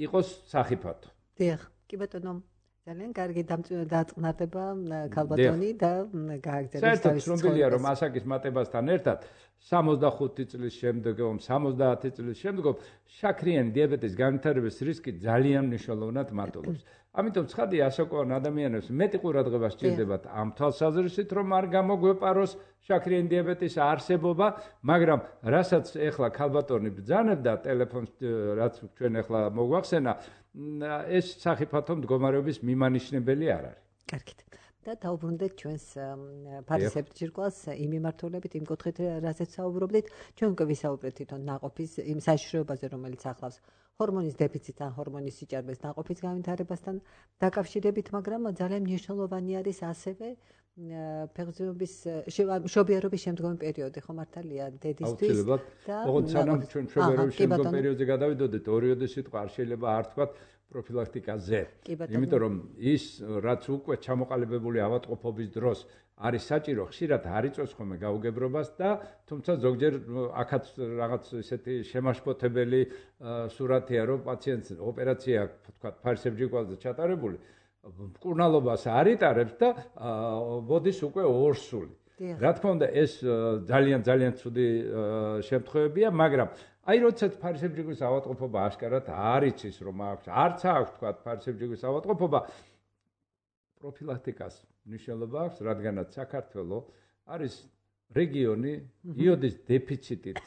იყოს სახიფათო. დიახ, კი ბატონო, ძალიან კარგი დაწყნარდება ქალბატონი და გააგრძელებს თავის ცხოვრება. საერთოდ ცნობილია, რომ ასაკის მატებასთან ერთად სამოცდახუთი წლის შემდეგ, სამოცდაათი წლის შემდეგ შაქრიანი დიაბეტის განვითარების რისკი ძალიან მნიშვნელოვნად მატულობს. ამიტომ ცხადია, ასაკოვან ადამიანებს მეტი ყურადღება სჭირდებათ ამ თვალსაზრისით, რომ არ გამოგვეპაროს შაქრიანი დიაბეტის არსებობა, მაგრამ რასაც ეხლა ქალბატონი ბრძანებდა ტელეფონს, რაც ჩვენ ეხლა მოგვახსენა, ეს სახიფათო მდგომარეობის მიმანიშნებელი არ არის. კარგით. და დაუბრუნდეთ ჩვენს ფარისებრ ჯირკვალს იმ მიმართულებით, იმ კუთხით, რასაც საუბრობდით, ჩვენ უკვე ვისაუბრეთ თვითონ ნაყოფის იმ საშიშროებაზე, რომელიც ახლავს ჰორმონის დეფიციტს ან ჰორმონის სიჭარბეს ნაყოფის განვითარებასთან დაკავშირებით, მაგრამ ძალიან მნიშვნელოვანი არის ასევე ფეხბურთის მშობიარობის შემდგომი პერიოდი, ხო მართალია დედისთვის და ოღონდ სანამ ჩვენ მშობიარობის შემდგომ პერიოდზე გადავიდოდეთ, ორიოდე სიტყვა არ შეიძლება არ თქვათ პროფილაქტიკაზე. იმიტომ რომ ის რაც უკვე ჩამოყალიბებული ავადმყოფობის დროს არის საჭირო, ხშირად არ იწვევს ხოლმე გაუგებრობას და თუმცა ზოგჯერ აქაც რაღაც ესეთი შემაშფოთებელი სურათია, რომ პაციენტს ოპერაცია თქვათ ფარისებრ ჯირკვალზე ჩატარებული, მკურნალობას არ იტარებს და მოდის უკვე ორსული. რა თქმა უნდა, ეს ძალიან ძალიან ცუდი შემთხვევებია, მაგრამ აი როდესაც ფარისებრ ჯირკვალის ავადმყოფობა აშკარად არ იცის, რომ აქვს, არც აქვს თქვათ ფარისებრ ჯირკვალის ავადმყოფობა, პროფილაქტიკას მნიშვნელობა აქვს, რადგანაც საქართველოს არის რეგიონი იოდის დეფიციტით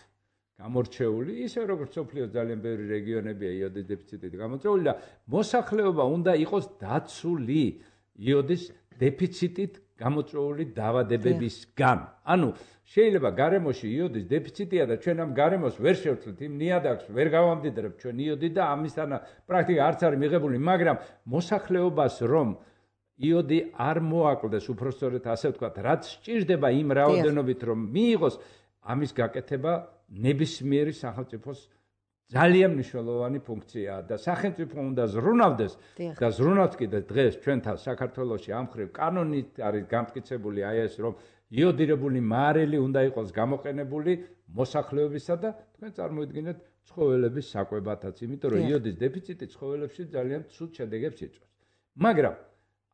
გამორჩეული, ისე როგორც მსოფლიოს ძალიან ბევრი რეგიონებია იოდის დეფიციტით გამორჩეული და მოსახლეობა უნდა იყოს დაცული იოდის დეფიციტით გამოწვეული დაავადებებისგან. ანუ შეიძლება გარემოში იოდის დეფიციტია და ჩვენ ამ გარემოს ვერ შევცვლით, იმ ნიადაგს ვერ გავამდიდრებთ ჩვენ იოდი და ამისთან პრაქტიკა არც არის მიღებული, მაგრამ მოსახლეობას რომ იოდი არ მოაკლდეს, უпростоრეთ ასე ვთქვათ, რაც სჭირდება იმ რაოდენობით რომ მიიღოს, ამის გაკეთება ნებისმიერი სახელმწიფოს ძალიან მნიშვნელოვანი ფუნქციაა და სახელმწიფო უნდა ზრუნავდეს და ზრუნავს კიდე დღეს ჩვენთან საქართველოში ამ ხრივ კანონით არის გამტკიცებული აი ეს რომ იოდირებული მარილი უნდა იყოს გამოყენებული მოსახლეობისა და თქვენ წარმოიდგინეთ ცხოველების საკვებათაც, იმიტომ რომ იოდის დეფიციტი ცხოველებში ძალიან ცუდ შედეგებს იწვევს. მაგრამ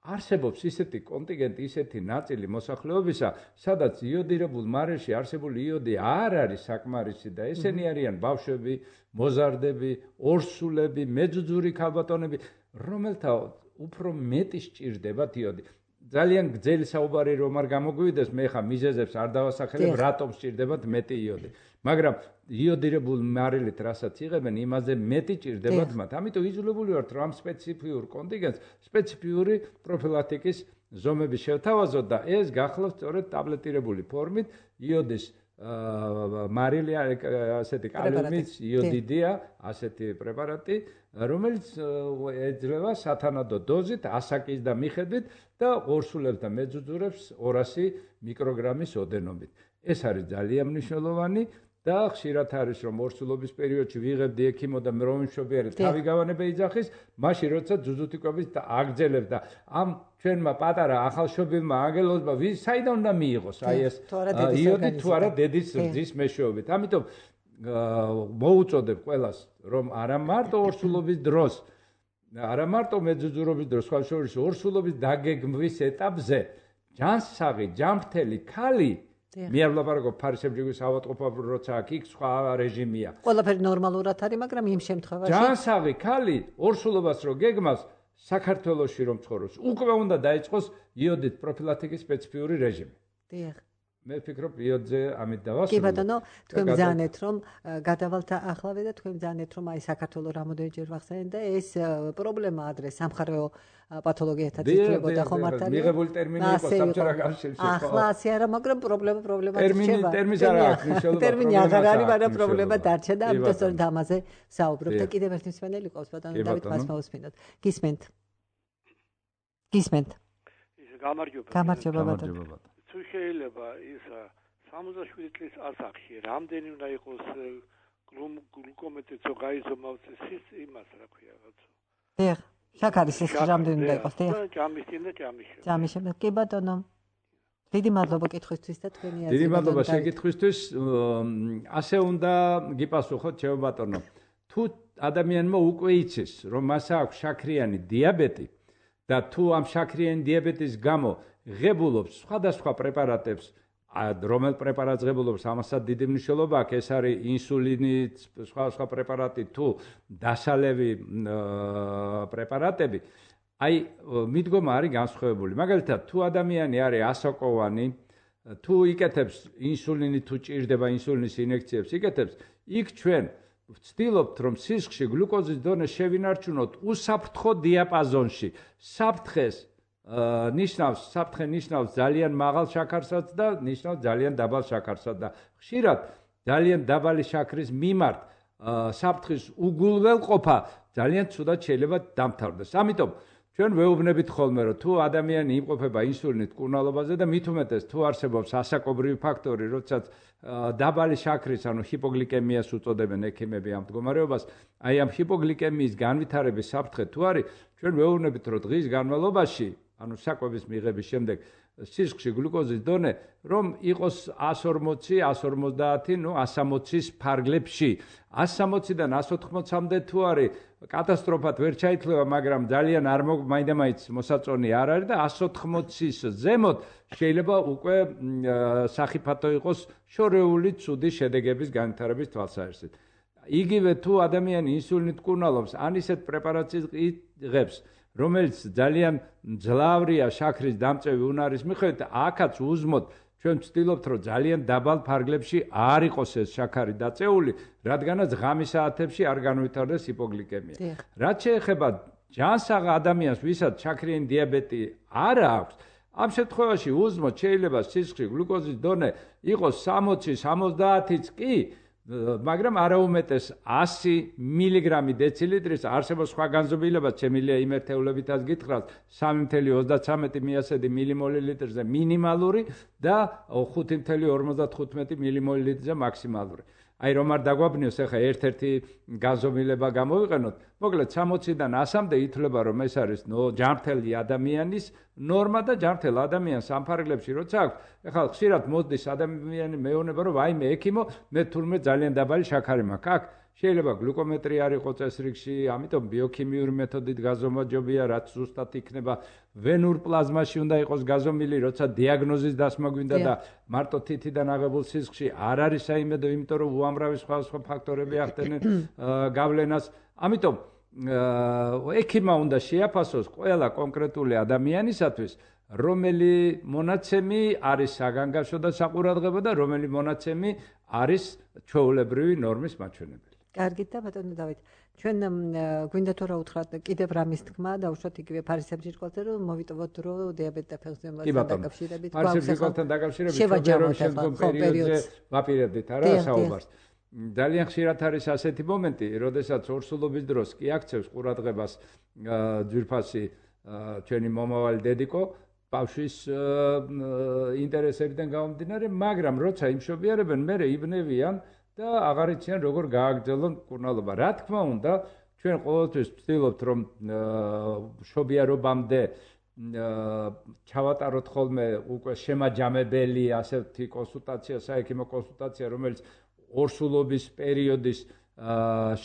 არსებობს ისეთი კონტინგენტი, ისეთი ნაწილი მოსახლეობისა, სადაც იოდირებულ მარილში არსებული იოდი არ არის საკმარისი და ესენი არიან ბავშვები, მოზარდები, ორსულები, მეძუძური ქალბატონები, რომელთა უფრო მეტი სჭირდებათ იოდი. ძალიან გრძელი საუბარი რომ არ გამოგვივიდეს, მე ხა მიზეზებს არ დავასახელებ, რატომ სჭირდებათ მეტი იოდი. მაგრამ იოდირებულ მარილით რასაც იღებენ, იმაზე მეტი ჭირდებათ მათ. ამიტომ იძულებული ვართ რომ ამ სპეციფიურ კონტინგენტს სპეციფიური პროფილაქტიკის ზომები შევთავაზოთ და ეს გახლავთ სწორედ ტაბლეტირებული ფორმით იოდის მარილი ასეთი კალიუმის იოდიდია, ასეთი პრეპარატი, რომელიც ეძლევა სათანადო დოზით, ასაკის და მიხედვით და ორსულებს და მეძუძურებს ორასი მიკროგრამის ოდენობით. ეს არის ძალიან მნიშვნელოვანი და ხშირად არის რომ ორსულობის პერიოდში ვიღებდი ექიმო და მროვინმშობიარი თავი გავანება იძახის, მაშინ როცა ძუძუთიკობის და აგძელებს და ამ ჩვენმა პატარა ახალშობილმა ანგელოზმა ვის საიდან უნდა მიიღოს აი ეს იოდი თუ არა დედის რძის მეშვეობით. ამიტომ მოუწოდებ ყველას რომ არა მარტო ორსულობის დროს, არა მარტო მეძუძურობის დროს, სხვა შორის ორსულობის დაგეგმვის ეტაპზე ჯანსაღი, ჯანმრთელი ქალი მე არ ვლაპარაკობ ფარისებრ ჯირკვალის ავადმყოფობა, როცა აქ იქ სხვა რეჟიმია. ყველაფერი ნორმალურად არის, მაგრამ იმ შემთხვევაში ჯანსაღი ქალი ორსულობას რო გეგმავს საქართველოში რომ ცხოვრობს, უკვე უნდა დაიწყოს იოდით პროფილაქტიკის სპეციფიური რეჟიმი. დიახ. მე ვფიქრობ იოდზე ამით დავასრულოთ. კი ბატონო, თქვენ ბრძანეთ რომ გადავალთახლავე და თქვენ ბრძანეთ რომ აი საქართველოს რამოდენჯერ ვახსენეთ და ეს პრობლემა ადრე სამხარეო პათოლოგიათაც იწვლებოდა ხო მართალია? მიღებული ტერმინი იყო სამჯერა კავშირში. ახლა ასე არა, მაგრამ პრობლემა პრობლემად რჩება. ტერმინი არ აქვს მნიშვნელობა. ტერმინი აღარ არის, მაგრამ პრობლემა დარჩა და ამიტომ სწორედ ამაზე საუბრობთ და კიდევ ერთი მსმენელი ყავს ბატონო დავით მას მოусმინოთ. გისმენთ. გისმენთ. გამარჯობა. გამარჯობა ბატონო. თუ შეიძლება ის სამოცდაშვიდი წლის ასაკში რამდენი უნდა იყოს გლუკომეტრიცო გაიზომავცეს ის იმას რა ქვია რაღაცა. დიახ, შაქარის ეს რამდენი უნდა იყოს, დიახ. ჯამის წინ და ჯამის შემდეგ. ჯამის შემდეგ. კი ბატონო. დიდი მადლობა კითხვისთვის და თქვენი აზრი. დიდი მადლობა შეკითხვისთვის. ასე უნდა გიპასუხოთ ჩემო ბატონო. თუ ადამიანმა უკვე იცის, რომ მას აქვს შაქრიანი დიაბეტი და თუ ამ შაქრიანი დიაბეტის გამო ღებულობს სხვადასხვა პრეპარატებს რომელ პრეპარატს ღებულობს, ამასაც დიდი მნიშვნელობა აქვს. ეს არის ინსულინი, სხვა სხვა პრეპარატი თუ დასალევი პრეპარატები. აი, მიდგომა არის განსხვავებული. მაგალითად, თუ ადამიანი არის ასაკოვანი, თუ იკეთებს ინსულინი, თუ ჭირდება ინსულინის ინექციებს იკეთებს, იქ ჩვენ ვცდილობთ, რომ სისხლში გლუკოზის დონე შევინარჩუნოთ უსაფრთხო დიაპაზონში. საფრთხეს ნიშნავს, საფრთხე ნიშნავს ძალიან მაღალ შაქარსაც და ნიშნავს ძალიან დაბალ შაქარსაც და ხშირად ძალიან დაბალი შაქრის მიმართ საფრთხის უგულველყოფა ძალიან ცუდად შეიძლება დამთავრდეს. ამიტომ ჩვენ ვეუბნებით ხოლმე, რომ თუ ადამიანი იმყოფება ინსულინით მკურნალობაზე და მით უმეტეს თუ არსებობს ასაკობრივი ფაქტორი, როდესაც დაბალი შაქრის, ანუ ჰიპოგლიკემიას უწოდებენ ექიმები ამ მდგომარეობას, აი ამ ჰიპოგლიკემიის განვითარების საფრთხე თუ არის, ჩვენ ვეუბნებით, რომ დღის განმავლობაში, ანუ საკვების მიღების შემდეგ სისხლში გლუკოზის დონე რომ იყოს εκατს ორმოცი, εκατს ორმოცდაათი, ნუ εκατს სამოცის ფარგლებში. εκατს სამოციდან εκατს ოთხმოცამდე თუ არის კატასტროფად ვერ ჩაითვლება, მაგრამ ძალიან არ მაინდა-მაინც მოსაწონი არ არის და εκατს ოთხმოცის ზემოთ შეიძლება უკვე სახიფათო იყოს შორეული ცუდი შედეგების განვითარების თვალსაზრისით. იგივე თუ ადამიანი ინსულინით მკურნალობს, ან ისეთ პრეპარატს იღებს, რომელიც ძალიან ძლავრია შაქრის დამწევი უნარის მიხედვით, აქაც უზმოთ ჩვენ ვცდილობთ, რომ ძალიან დაბალ ფარგლებში არ იყოს ეს შაქარი დაწეული, რადგანაც ღამის საათებში არ განვითარდეს ჰიპოგლიკემია. რაც შეეხება ჯანსაღ ადამიანს, ვისაც შაქრიანი დიაბეტი არ აქვს, ამ შემთხვევაში უზმოთ შეიძლება სისხლში გლუკოზის დონე იყოს სამოცი, სამოცდაათიც კი, მაგრამ არაუმეტეს ასი მილიგრამი დეცილიტრის, არსებობს სხვა განზომილებაც, შემიძლია იმ ერთეულებითაც გითხრათ, სამი ათეული ოცდაცამეტი მიასედი მილიმოლილიტრზე მინიმალური და ხუთი ათეული ორმოცდახუთმეტი მილიმოლილიტრზე მაქსიმალური. აი რომ არ დაგვაბნიოს, ახლა ერთ-ერთი განზომილება გამოვიყენოთ, მოკლედ სამოციდან ასამდე ითვლება, რომ ეს არის ჯანმრთელი ადამიანის ნორმა და ჯანმრთელ ადამიანს ამ ფარგლებში როცა აქვს, ახლა ხშირად მოდის ადამიანი მეუბნება, რომ ვაიმე ექიმო, მე თურმე ძალიან დაბალი შაქარი მაქვს. აქ შეიძლება გლუკომეტრი არ იყოს წესრიგში, ამიტომ ბიოქიმიური მეთოდით გაზომა ჯობია, რაც ზუსტად იქნება ვენურ პლაზმაში უნდა იყოს გაზომილი, როცა დიაგნოზის დასმა გვინდა და მარტო თითიდან აღებულ სისხლში არ არის საიმედო, იმიტომ რომ უამრავი სხვა სხვა ფაქტორები ახდენენ გავლენას. ამიტომ ექიმა უნდა შეაფასოს ყველა კონკრეტული ადამიანისათვის, რომელი მონაცემი არის საგანგაშო და საყურადღებო და რომელი მონაცემი არის ჩვეულებრივი ნორმის მაჩვენებელი. კარგით და ბატონო დავით, ჩვენ გვინდა თუ რა უთხრათ, კიდევ რამის თქმა და უშუალოდ იგივე ფარისებჭირკვალზე, რომ მოვიტოვოთ დრო დიაბეტ და ფეხმძიმებასთან დაკავშირებით. ფარისებჭირკვალთან დაკავშირებით შევაჯამოთ შემდგომ პერიოდზე ვაპირებდით არა საუბარს. ძალიან ხშირად არის ასეთი მომენტი, როდესაც ორსულობის დროს კი აქცევს ყურადღებას ძვირფასი ჩვენი მომავალი დედიკო ბავშვის ინტერესებიდან გამომდინარე, მაგრამ როცა იმშობიარებენ, მერე იბნევიან და აღარ იციან როგორ გააგრძელონ მკურნალობა. რა თქმა უნდა, ჩვენ ყოველთვის ვცდილობთ, რომ მშობიარობამდე ჩავატაროთ ხოლმე უკვე შემაჯამებელი ასეთი კონსულტაცია, საექიმო კონსულტაცია, რომელიც ორსულობის პერიოდის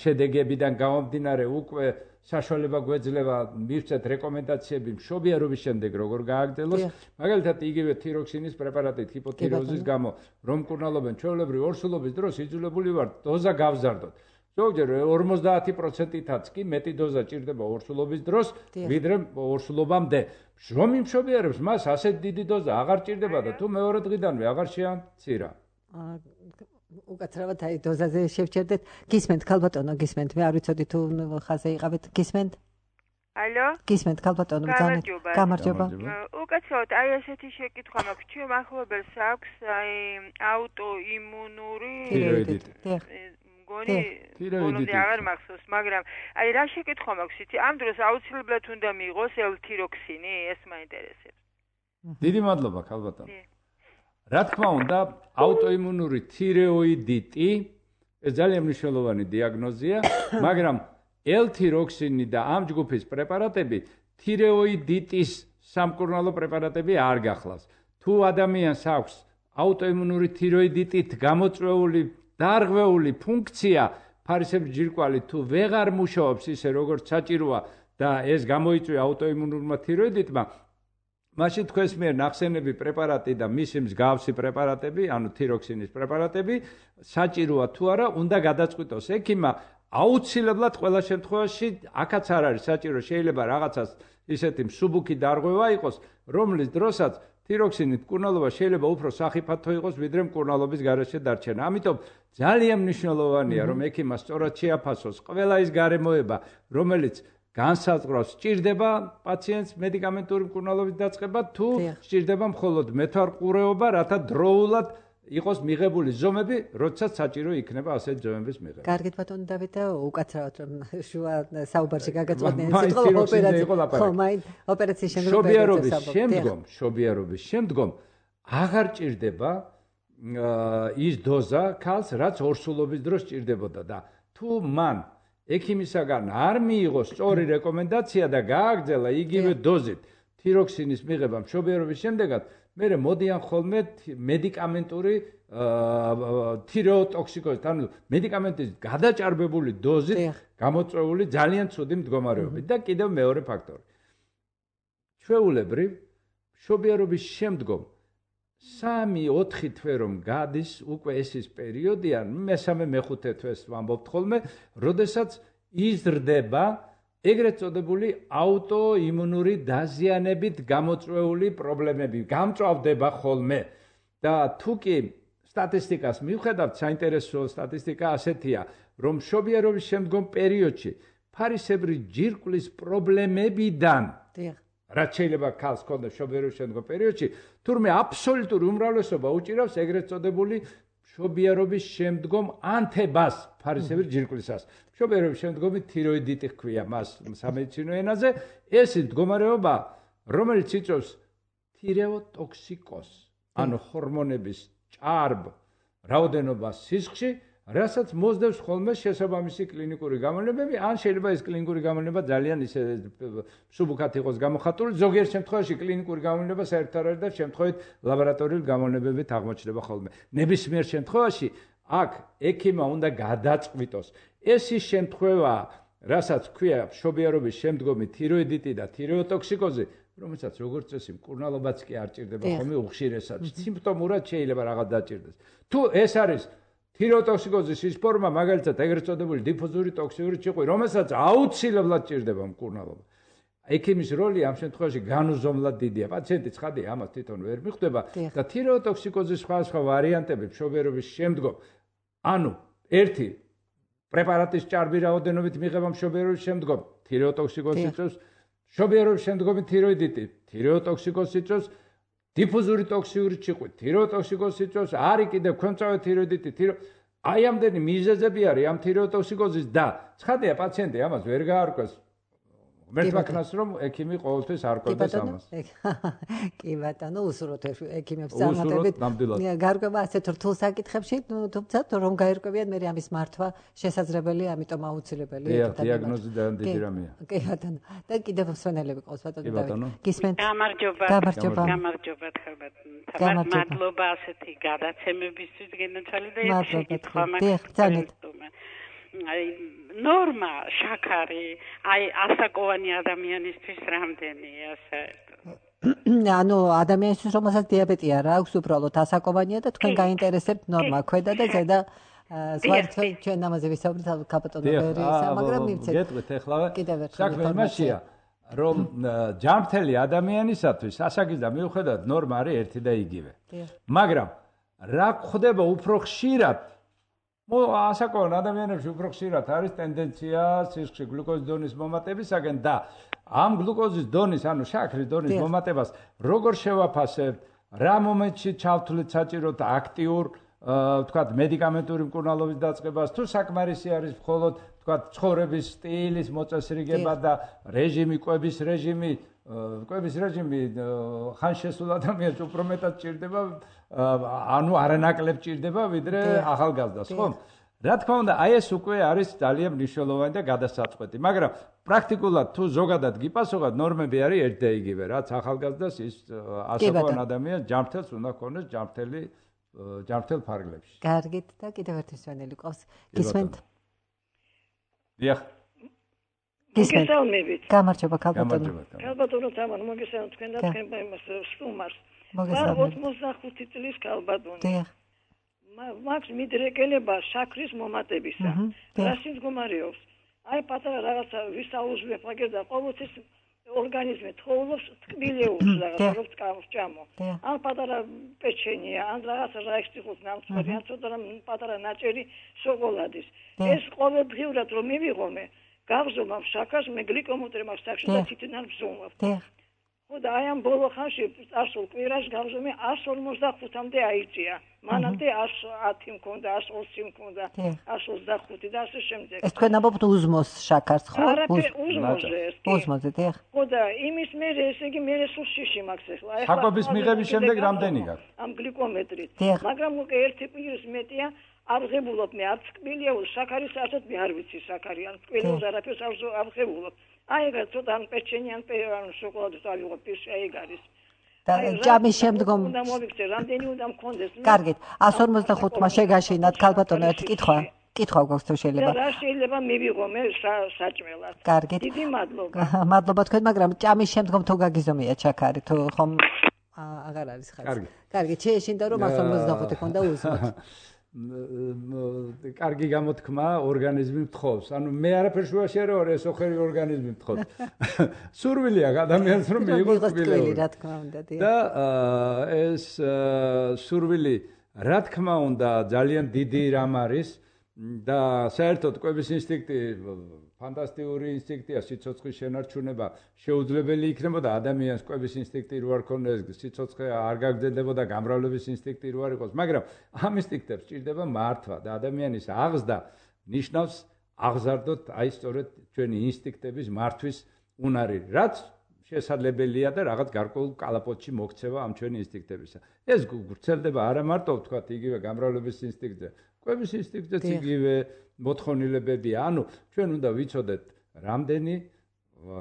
შედეგებიდან გამომდინარე უკვე საშუალება გვეძლება მივცეთ რეკომენდაციები მშობიარობის შემდეგ როგორ გააგრძელოს. მაგალითად, იგივე თიროქსინის პრეპარატით ჰიპოთიროზის გამო რომ მკურნალობენ ჩვეულებრივ ორსულობის დროს იძულებული ვართ დოზა გავზარდოთ. ზოგჯერ ორმოცდაათი პროცენტითაც კი მეტი დოზა ჭირდება ორსულობის დროს, ვიდრე ორსულობამდე. რომ იმშობიარებს მას ასეთ დიდი დოზა აღარ ჭირდება და თუ მეორე დღიდანვე აღარ შეამცირა. უკაცრავად აი დოზაზე შევჩერდეთ. გისმენთ ქალბატონო, გისმენთ. მე არ ვიცოდი თუ ხაზე იყავით. გისმენთ? ალო? გისმენთ ქალბატონო, ბრძანეთ. გამარჯობა. უკაცრავად აი ესეთი შეკითხვა მაქვს. ჩვენ ახლებელს აქვს აი აუტოიმუნური თიროიდიტი. მგონი ბოლომდე აღარ მახსოვს, მაგრამ აი რა შეკითხვა მაქვს იცი? ამ დროს აუცილებლად უნდა მიიღოს ელ-თიროქსინი, ეს მაინტერესებს. დიდი მადლობა ქალბატონო. რა თქმა უნდა, აუტოიმუნური თიროიდიტი ეს ძალიან მნიშვნელოვანი დიაგნოზია, მაგრამ ელ-თიროქსინი და ამ ჯგუფის პრეპარატები თიროიდიტის სამკურნალო პრეპარატები არ გახლავს. თუ ადამიანს აქვს აუტოიმუნური თიროიდიტით გამოწვეული დარღვეული ფუნქცია, ფარისებჭირკვალი თუ ვეღარ მუშაობს ისე როგორც საჭიროა და ეს გამოიწვია აუტოიმუნურმა თიროიდიტმა, მაშინ თქვენს მიერ ნახსენები პრეპარატი და მისი მსგავსი პრეპარატები, ანუ თიროქსინის პრეპარატები, საჭიროა თუ არა, უნდა გადაწყვიტოს ექიმმა. აუცილებლად ყველა შემთხვევაში აქაც არ არის საჭირო, შეიძლება რაღაცას ისეთი მსუბუქი დარღვევა იყოს, რომლის დროსაც თიროქსინით მკურნალობა შეიძლება უფრო სახიფათო იყოს, ვიდრე მკურნალობის გარეშე დარჩენა. ამიტომ ძალიან მნიშვნელოვანია, რომ ექიმმა სწორად შეაფასოს ყველა ის გარემოება, რომელიც განსაზღვრავს, სჭირდება პაციენტს მედიკამენტური მკურნალობის დაწყება, თუ სჭირდება მხოლოდ მეთვალყურეობა, რათა დროულად იყოს მიღებული ზომები, როდესაც საჭირო იქნება ასეთ ზომების მიღება. კარგით ბატონო დავით და უკაცრავად რომ შუა საუბარში გაგაწყვეტნე სიტყვა ოპერაცია. ხო, მაინ ოპერაციის შემდგომ შობიარობის შემდგომ, შობიარობის შემდგომ აღარ ჭირდება ის დოზა ქალს, რაც ორსულობის დროს ჭირდებოდა და თუ მან ექიმისაგან არ მიიღო სწორი რეკომენდაცია და გააგრძელა იგივე დოზით თიროქსინის მიღება მშობიარობის შემდეგაც, მერე მოდიან ხოლმე მედიკამენტური თირეოტოქსიკოზით, ანუ მედიკამენტის გადაჭარბებული დოზით გამოწვეული ძალიან ცუდი მდგომარეობით და კიდევ მეორე ფაქტორი. ჩვეულებრივ მშობიარობის შემდგომ სამი ოთხი თვე რომ გადის უკვე ეს ის პერიოდია, მესამე მეხუთე თვეს ვამბობთ ხოლმე, როდესაც იზრდება ეგრეთ წოდებული აუტოიმუნური დაზიანებით გამოწვეული პრობლემები, გამწვავდება ხოლმე. და თუ კი სტატისტიკას მივხედავთ, საინტერესო სტატისტიკა ასეთია, რომ მშობიარობის შემდგომ პერიოდში ფარისებრი ჯირკვლის პრობლემებიდან რაც შეიძლება ქალს ჰქონდეს მშობიარობის შემდგომ პერიოდში, თურმე აბსოლუტური უმრავლესობა უჭირავს ეგრეთ წოდებული მშობიარობის შემდგომ ანთებას ფარისებრი ჯირკვლისას. მშობიარობის შემდგომი თიროიდიტი ჰქვია მას სამედიცინო ენაზე, ეს მდგომარეობა, რომელიც იწვევს თირეოტოქსიკოზს, ანუ ჰორმონების ჭარბ რაოდენობას სისხლში, რასაც მოსდევს ხოლმე შესაბამისი კლინიკური გამონებები, ან შეიძლება ეს კლინიკური გამონება ძალიან ისე მსუბუქად იყოს გამოხატული, ზოგიერთ შემთხვევაში კლინიკური გამონება საერთოდ არ არის და შემთხვევით ლაბორატორიული გამონებებით აღმოჩნდება ხოლმე. ნებისმიერ შემთხვევაში აქ ექიმმა უნდა გადაწყვიტოს. ეს ის შემთხვევაა, რასაც ქვია მშობიარობის შემდგომი თიროიდიტი და თირეოტოქსიკოზი, რომელსაც როგორც წესი მკურნალობაც კი არ ჭირდება ხოლმე უხშირესად. სიმპტომურად შეიძლება რაღაც დაჭირდეს. თუ ეს არის თირეოტოქსიკოზის ის ფორმა, მაგალითად ეგრეთ წოდებული დიფუზური ტოქსიური ჭიყვი, რომელსაც აუცილებლად ჭირდება მკურნალობა. ექიმის როლი ამ შემთხვევაში განუზომლად დიდია. პაციენტი ცხადია, ამას თვითონ ვერ მიხვდება და თირეოტოქსიკოზის სხვადასხვა ვარიანტები მშობიარობის შემდგომ, ანუ ერთი პრეპარატის ჭარბი რაოდენობით მიღება მშობიარობის შემდგომ, თირეოტოქსიკოზს იწვევს, მშობიარობის შემდგომი თიროიდიტი, თირეოტოქსიკოზს იწვევს, დიფუზური ტოქსიური ჭიყვი, თირეოტოქსიკოზს იწვევს, არის კიდევ ქვემწავე თიროიდიტი, თირო აი ამდენი მიზეზები არის ამ თირეოტოქსიკოზის და ცხადია პაციენტი ამას ვერ გაარკვევს. მერტვაქნას რომ ექიმი ყოველთვის არ ყვევდეს ამას. კი ბატონო, უსურვოთ ექიმებს წარმატებით. გარკვევა ასეთ რთულ საკითხებში, თუმცა რომ გაერკვევიან, მე ამის მართვა შესაძლებელია, ამიტომ აუცილებელია. დიაგნოზი და დიდი რამეა. კი ბატონო. და კიდევ მსვენელები ყავს ბატონო. გისმენთ? გამარჯობა. გამარჯობა. გამარჯობა თქმა. თამარ მადლობა ასეთი გადაცემებისთვის გენაცვალი და ერთი კითხვა მაქვს. აი ნორმა შაქარი აი ასაკოვანი ადამიანისთვის რამდენია საერთოდ? ანუ ადამიანისთვის რომელსაც დიაბეტი არ აქვს, უბრალოდ ასაკოვანია და თქვენ გაინტერესებთ ნორმა ქვედა და ზედა ზღვართ ჩვენ ამაზე ვისაუბრეთ კაპიტონო ბერისა, მაგრამ მივცეთ. გეტყვით ეხლა საქმე იმაშია, რომ ჯანმრთელი ადამიანისათვის ასაკიდან მიუხედავად ნორმა არის ერთი და იგივე. მაგრამ რა ხდება უფრო ხშირად ასაკოვან ადამიანებში უფრო ხშირად არის ტენდენცია სისხლში გლუკოზის დონის მომატებისაგან და ამ გლუკოზის დონის, ანუ შაქრის დონის მომატებას როგორ შევაფასებთ, რა მომენტში ჩავთვლით საჭიროდ აქტიურ, ვთქვათ, მედიკამენტური მკურნალობის დაწყებას, თუ საკმარისი არის მხოლოდ, ვთქვათ, ცხოვრების სტილის მოწესრიგება და რეჟიმი, კვების რეჟიმი, კვების რეჟიმი ხან შესულ ადამიანს უფრო მეტად ჭირდება, ანუ არანაკლებ ჭირდება, ვიდრე ახალგაზრდას, ხო? რა თქმა უნდა, აი ეს უკვე არის ძალიან მნიშვნელოვანი და გადასაწყვეტი, მაგრამ პრაქტიკულად თუ ზოგადად გიპასუხოთ, ნორმები არის ერთ და იგივე, რაც ახალგაზრდას ის ასაკოვან ადამიანს ჯანმრთელს უნდა ქონდეს ჯანმრთელი ჯანმრთელ ფარგლებში. კარგით და კიდევ ერთი მსვენელი ყავს. გისმენთ? დიახ. მოგესალმებით. გამარჯობა ქალბატონო. ქალბატონო თამარ მოგესალმებით თქვენ და თქვენ იმას სტუმარს. ოცდახუთი წლის ქალბატონი. დიახ. მაქვს მიდრეკელება შაქრის მომატებისა. რაში მდგომარეობს? აი პატარა რაღაცა ვისაუზმებ აგერ და ყოველთვის ორგანიზმი თხოვლობს თკბილეულს რაღაცა რომ წამო. ან პატარა პეჩენია, ან რაღაცა რაიხსტიხოს ნამცხვარი, ან ცოტა რამ პატარა ნაჭერი შოკოლადის. ეს ყოველდღიურად რომ მივიღომე, გავზომავ შაქარს, მე გლიკომეტრი მაქვს სახში და თითნარ ვზომავ. ხო და აი ამ ბოლო ხანში წარსულ კვირაში გავზომე εκατს ორმოცდახუთამდე აიწია. მანამდე εκατს ათი მქონდა, εκατს ოცი მქონდა, εκατს ოცდახუთი და ასე შემდეგ. ეს თქვენ ამბობთ უზმოს შაქარს, ხო? არაფერ უზმოზე ეს. უზმოზე, დიახ. ხო და იმის მერე ესე იგი მე სულ შიში მაქვს ახლა. შაქობის მიღების შემდეგ რამდენი გაქვს? ამ გლიკომეტრით. მაგრამ უკვე ერთი კვირის მეტია აღღებულობ მე არც კბილიაუს შაქარის საერთოდ მე არ ვიცი შაქარი ან კბილიაუს არაფერს არ აღღებულობ. აი ეგ ცოტა ან პეჩენი ან შოკოლადის ავიღო პირში ეგ არის. და ჭამის შემდგომ უნდა მოვიქცე რამდენი უნდა მქონდეს. კარგით, εκατს ორმოცდახუთმა შეგაშინათ ქალბატონო ერთი კითხვა. კითხვა გვაქვს თუ შეიძლება. და რა შეიძლება მივიღო მე საჭმელად. კარგით. დიდი მადლობა. მადლობა თქვენ, მაგრამ ჭამის შემდგომ თუ გაგიზომია ჩაქარი თუ ხომ აღარ არის ხალხი. კარგი. კარგით, შეეშინდა რომ εκατს ორმოცდახუთი ქონდა უზმოთ. კარგი გამოთქმა ორგანიზმი მთხოვს. ანუ მე არაფერს შუაში არ ვარ, ეს ოხერი ორგანიზმი მთხოვს. სურვილი აქვს ადამიანს რომ მიიღოს კბილეული. რა თქმა უნდა, დიახ. და ეს სურვილი რა თქმა უნდა ძალიან დიდი რამ არის და საერთოდ კვების ინსტინქტი ფანტასტიკური ინსტინქტია, სიცოცხლის შენარჩუნება შეუძლებელი იქნებოდა ადამიანს კვების ინსტინქტი რო არ ქონდეს, სიცოცხლე არ გაგრძელდებოდა, გამრავლების ინსტინქტი რო არ იყოს, მაგრამ ამ ინსტინქტებს სჭირდება მართვა და ადამიანის აღზრდა ნიშნავს აღზარდოთ აი სწორედ ჩვენი ინსტინქტების მართვის უნარი, რაც შესაძლებელია და რაღაც გარკვეულ კალაპოტში მოქცევა ამ ჩვენი ინსტინქტებისა. ეს გრძელდება არა მარტო ვთქვათ იგივე გამრავლების ინსტინქტზე, კვების ინსტინქტზეც იგივე მოთხოვნილებებია. ანუ ჩვენ უნდა ვიცოდეთ რამდენი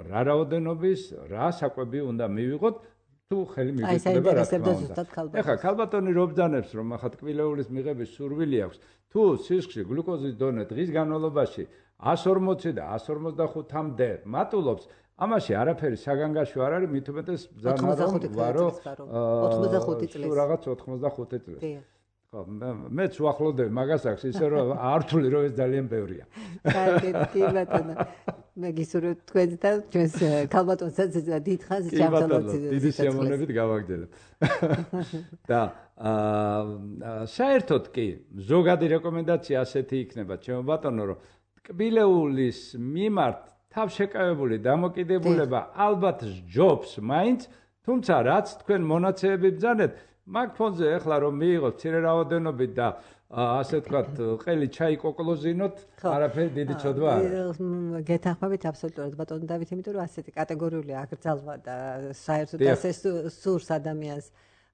რა რაოდენობის რა საკვები უნდა მივიღოთ თუ ხელი მიგვიწევდა რა თქმა უნდა. ეხლა ქალბატონი რო ბრძანებს რომ ახლა ტკბილეულის მიღების სურვილი აქვს, თუ სისხლში გლუკოზის დონე დღის განმავლობაში εκατს ორმოცი და εκατს ორმოცდახუთამდე მატულობს, ამაში არაფერი საგანგაშო არ არის, მით უმეტეს ბრძანა რომ ვარო ოცდახუთი წლის. რაღაც ოცდახუთი წლის. ხო, მეც უახლოვდები მაგას აქვს ისე რომ არ თვლი რომ ეს ძალიან ბევრია. კარგით, კი ბატონო. მე გისურვებ თქვენ და ჩვენს ქალბატონსაც დიდ ხანს ჯანმრთელობით. დიდი სიამოვნებით გავაგრძელებ. და საერთოდ კი ზოგადი რეკომენდაცია ასეთი იქნება, ჩემო ბატონო, რომ ტკბილეულის მიმართ თავშეკავებული დამოკიდებულება ალბათ ჯობს მაინც, თუმცა რაც თქვენ მონაცემები ბრძანეთ, მაგ ფონზე ახლა რომ მიიღოთ მცირე რაოდენობით და ასე ვთქვათ, ყელი ჩაი კოკლოზინოთ, არაფერი დიდი ცოდვა არ არის. გეთანხმებით აბსოლუტურად ბატონო დავით, იმიტომ რომ ასეთი კატეგორიული აკრძალვა და საერთოდ ასე სურს ადამიანს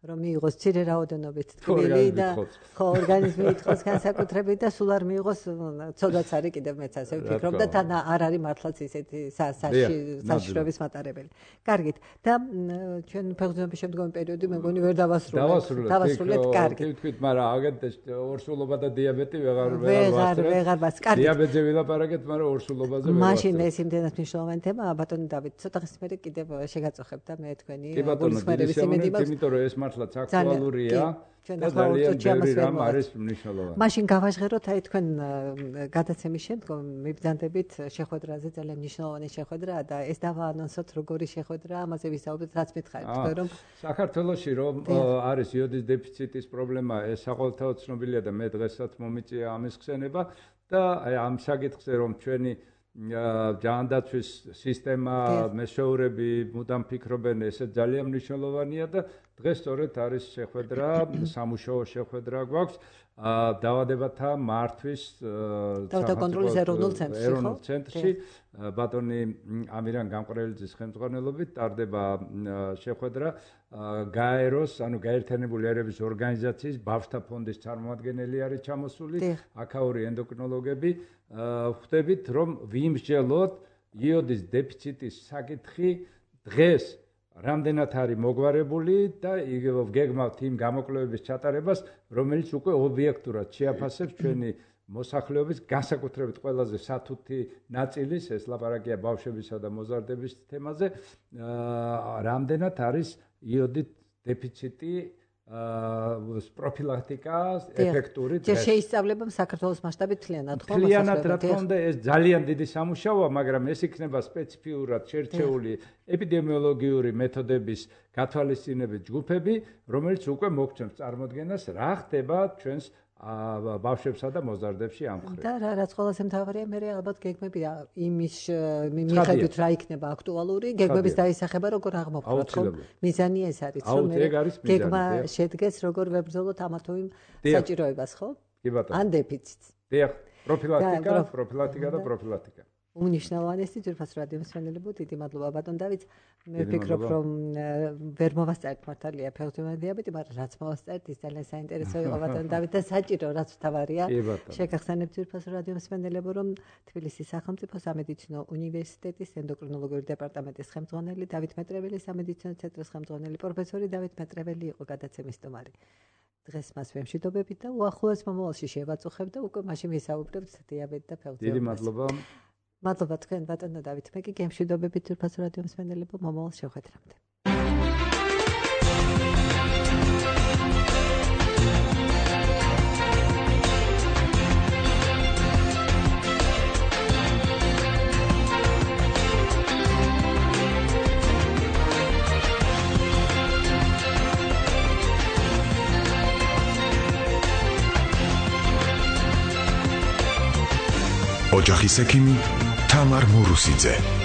რომ მიიღოს მცირე რაოდენობით ტკბილი და ხო ორგანიზმი ითხოვს განსაკუთრებით და სულ არ მიიღოს ცოდვაც არის კიდევ მეც ასე ვფიქრობ და თან არ არის მართლაც ისეთი საშიშროების მატარებელი. კარგით და ჩვენ ფეხბურთის შემდგომი პერიოდი მე მგონი ვერ დავასრულებთ. დავასრულეთ კარგი. კი ვთქვით, მაგრამ აგეთ ორსულობა და დიაბეტი ვეღარ ვეღარ ვეღარ მას კარგი. დიაბეტზე ვილაპარაკეთ, მაგრამ ორსულობაზე ვერ. მაშინ ეს იმდენად მნიშვნელოვანი თემაა, ბატონო დავით, ცოტა ხნის მერე კიდევ შეგაწუხებ და მე თქვენი გულისხმობების იმედი მაქვს. იმიტომ რომ ეს მართლაც აქტუალურია და ძალიან ბევრი რამ არის მნიშვნელოვანი. მაშინ გავაჟღეროთ აი თქვენ გადაცემის შემდგომ მიბრძანდებით შეხვედრაზე, ძალიან მნიშვნელოვანი შეხვედრაა და ეს დავაანონსოთ როგორი შეხვედრაა, ამაზე ვისაუბრეთ, რაც მითხარით თქვენ რომ საქართველოში რომ არის იოდის დეფიციტის პრობლემა, ეს საყოველთაოდ ცნობილია და მე დღესაც მომიწია ამის ხსენება და აი ამ საკითხზე რომ ჩვენი ჯანდაცვის სისტემა, მეშოურები მუდამ ფიქრობენ, ესე ძალიან მნიშვნელოვანია და დღეს სწორედ არის შეხვედრა, სამუშაო შეხვედრა გვაქვს დაავადებათა მართვის თავდაკონტროლის ეროვნულ ცენტრში, ეროვნულ ცენტრში ბატონი ამირან გამყრელიძის ხელმძღვანელობით ტარდება შეხვედრა გაეროს, ანუ გაერთიანებული ერების ორგანიზაციის ბავშვთა ფონდის წარმომადგენელი არის ჩამოსული, აქაური ენდოკრინოლოგები, ხვდებით რომ ვიმსჯელოთ იოდის დეფიციტის საკითხი დღეს რამდენად არის მოგვარებული და გეგმავთ იმ გამოკვლევების ჩატარებას, რომელიც უკვე ობიექტურად შეაფასებს ჩვენი მოსახლეობის განსაკუთრებით ყველაზე სათუთი ნაწილის, ეს ლაპარაკია ბავშვებისა და მოზარდების თემაზე, რამდენად არის იოდით დეფიციტი პროფილაქტიკა ეფექტური დღეს. ჯერ შეისწავლება საქართველოს მასშტაბით თლიანად ხო? თლიანად რა თქმა უნდა ეს ძალიან დიდი სამუშაოა, მაგრამ ეს იქნება სპეციფიურად შერჩეული ეპიდემიოლოგიური მეთოდების გათვალისწინებით ჯგუფები, რომელიც უკვე მოგცემს წარმოდგენას, რა ხდება ჩვენს ბავშვებსა და მოზარდებში ამ მხრივ. და რაც ყველაზე მთავარია, მე ალბათ გეგმებია იმის მიხედვით რა იქნება აქტუალური, გეგმების დაისახება როგორ აღმოფხვრათ ხო? მიზანი ეს არის, რომ მე გეგმა შედგეს როგორ ვებრძოლოთ ამა თუ იმ საჭიროებას ხო? კი ბატონო. ან დეფიციტს. დიახ, პროფილაქტიკა, პროფილაქტიკა და პროფილაქტიკა. უნიშნავანესი ძვირფას რადიო მსმენელებო, დიდი მადლობა ბატონ დავით. მე ვფიქრობ, რომ ვერ მოვასწარეთ მართალია ფეხბურთული დიაბეტი, მაგრამ რაც მოვასწარეთ, ის ძალიან საინტერესო იყო ბატონ დავით და საჭირო რაც თავარია. შეგახსენებთ ძვირფას რადიო მსმენელებო, რომ თბილისის სახელმწიფო სამედიცინო უნივერსიტეტის ენდოკრინოლოგიური დეპარტამენტის ხელმძღვანელი დავით მეტრეველი, სამედიცინო ცენტრის ხელმძღვანელი პროფესორი დავით მეტრეველი იყო გადაცემის სტუმარი. დღეს მას ვემშვიდობებით და უახლოეს მომავალში შევაწუხებ და უკვე მაშინ ვისაუბრებთ დიაბეტ და ფეხბურთზე. დიდი მადლობა. მადლობა თქვენ ბატონო დავით, მე კი გემშვიდობებით ძვირფას რადიო მსმენელებო, მომავალ შეხვედრამდე. ოჯახის ექიმი თამარ მურუსიძე.